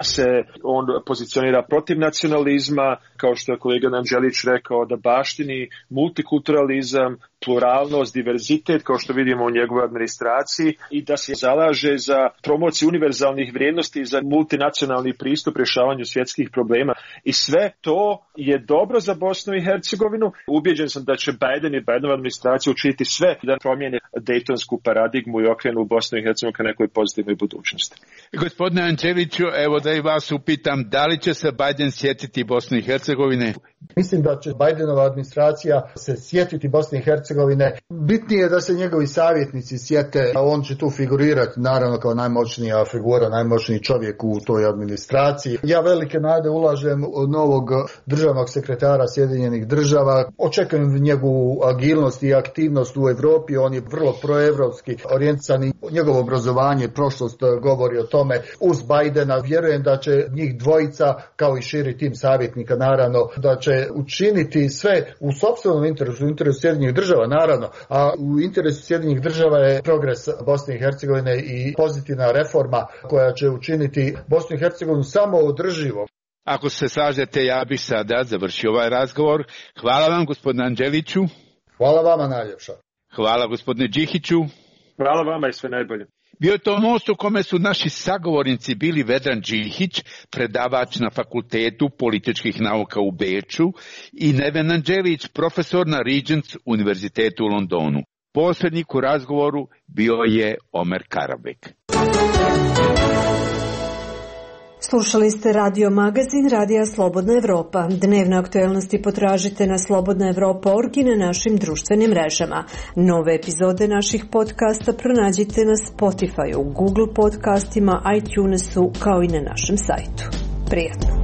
se on pozicionira protiv nacionalizma, kao što je kolega Anđelić rekao, da baštini multikulturalizam, pluralnost, diverzitet, kao što vidimo u njegovoj administraciji, i da se zalaže za promociju univerzalnih vrijednosti i za multinacionalni pristup rješavanju svjetskih problema. I sve to je dobro za Bosnu i Hercegovinu. Ubjeđen sam da će Biden i Bidenova administracija učiniti sve da promijene dejtonsku paradigmu i okrenu Bosnu i Hercegovinu ka nekoj pozitivnoj budućnosti. Gospodine Anđeliću, evo da i vas upitam, da li će se Biden sjetiti Bosne i Hercegovine? Mislim da će Bidenova administracija se sjetiti Bosne i Hercegovine. Bitnije je da se njegovi savjetnici sjete, a on će tu figurirati naravno kao najmoćnija figura, najmoćniji čovjek u toj administraciji. Ja velike nade ulažem u novog državnog sekretara Sjedinjenih Država. Očekujem njegovu agilnost i aktivnost u Europi. On je vrlo proevropski orijentisan i njegovo obrazovanje, prošlost govori o tome. Uz Bidena vjerujem da će njih dvojica, kao i širi tim savjetnika naravno, da će učiniti sve u sopstvenom interesu, u interesu Sjedinjenih Država naravno, a u interesu Sjedinjenih Država je progres Bosne i Hercegovine i pozitivna reforma koja će učiniti Bosnu i Hercegovinu samo održivo. Ako se slažete, ja bih sada završio ovaj razgovor. Hvala vam, gospodine Anđeliću. Hvala vama najljepša. Hvala, gospodine Đihiću. Hvala vama i sve najbolje. Bio je to most u kome su naši sagovornici bili Vedran Đihić, predavač na Fakultetu političkih nauka u Beču, i Neven Anđelić, profesor na Regents univerzitetu u Londonu. Posrednik u razgovoru bio je Omer Karabek. Slušali ste radio magazin Radija Slobodna Evropa. Dnevne aktuelnosti potražite na slobodnaevropa.org i na našim društvenim mrežama. Nove epizode naših podcasta pronađite na Spotify, Google podcastima, iTunesu kao i na našem sajtu. Prijatno!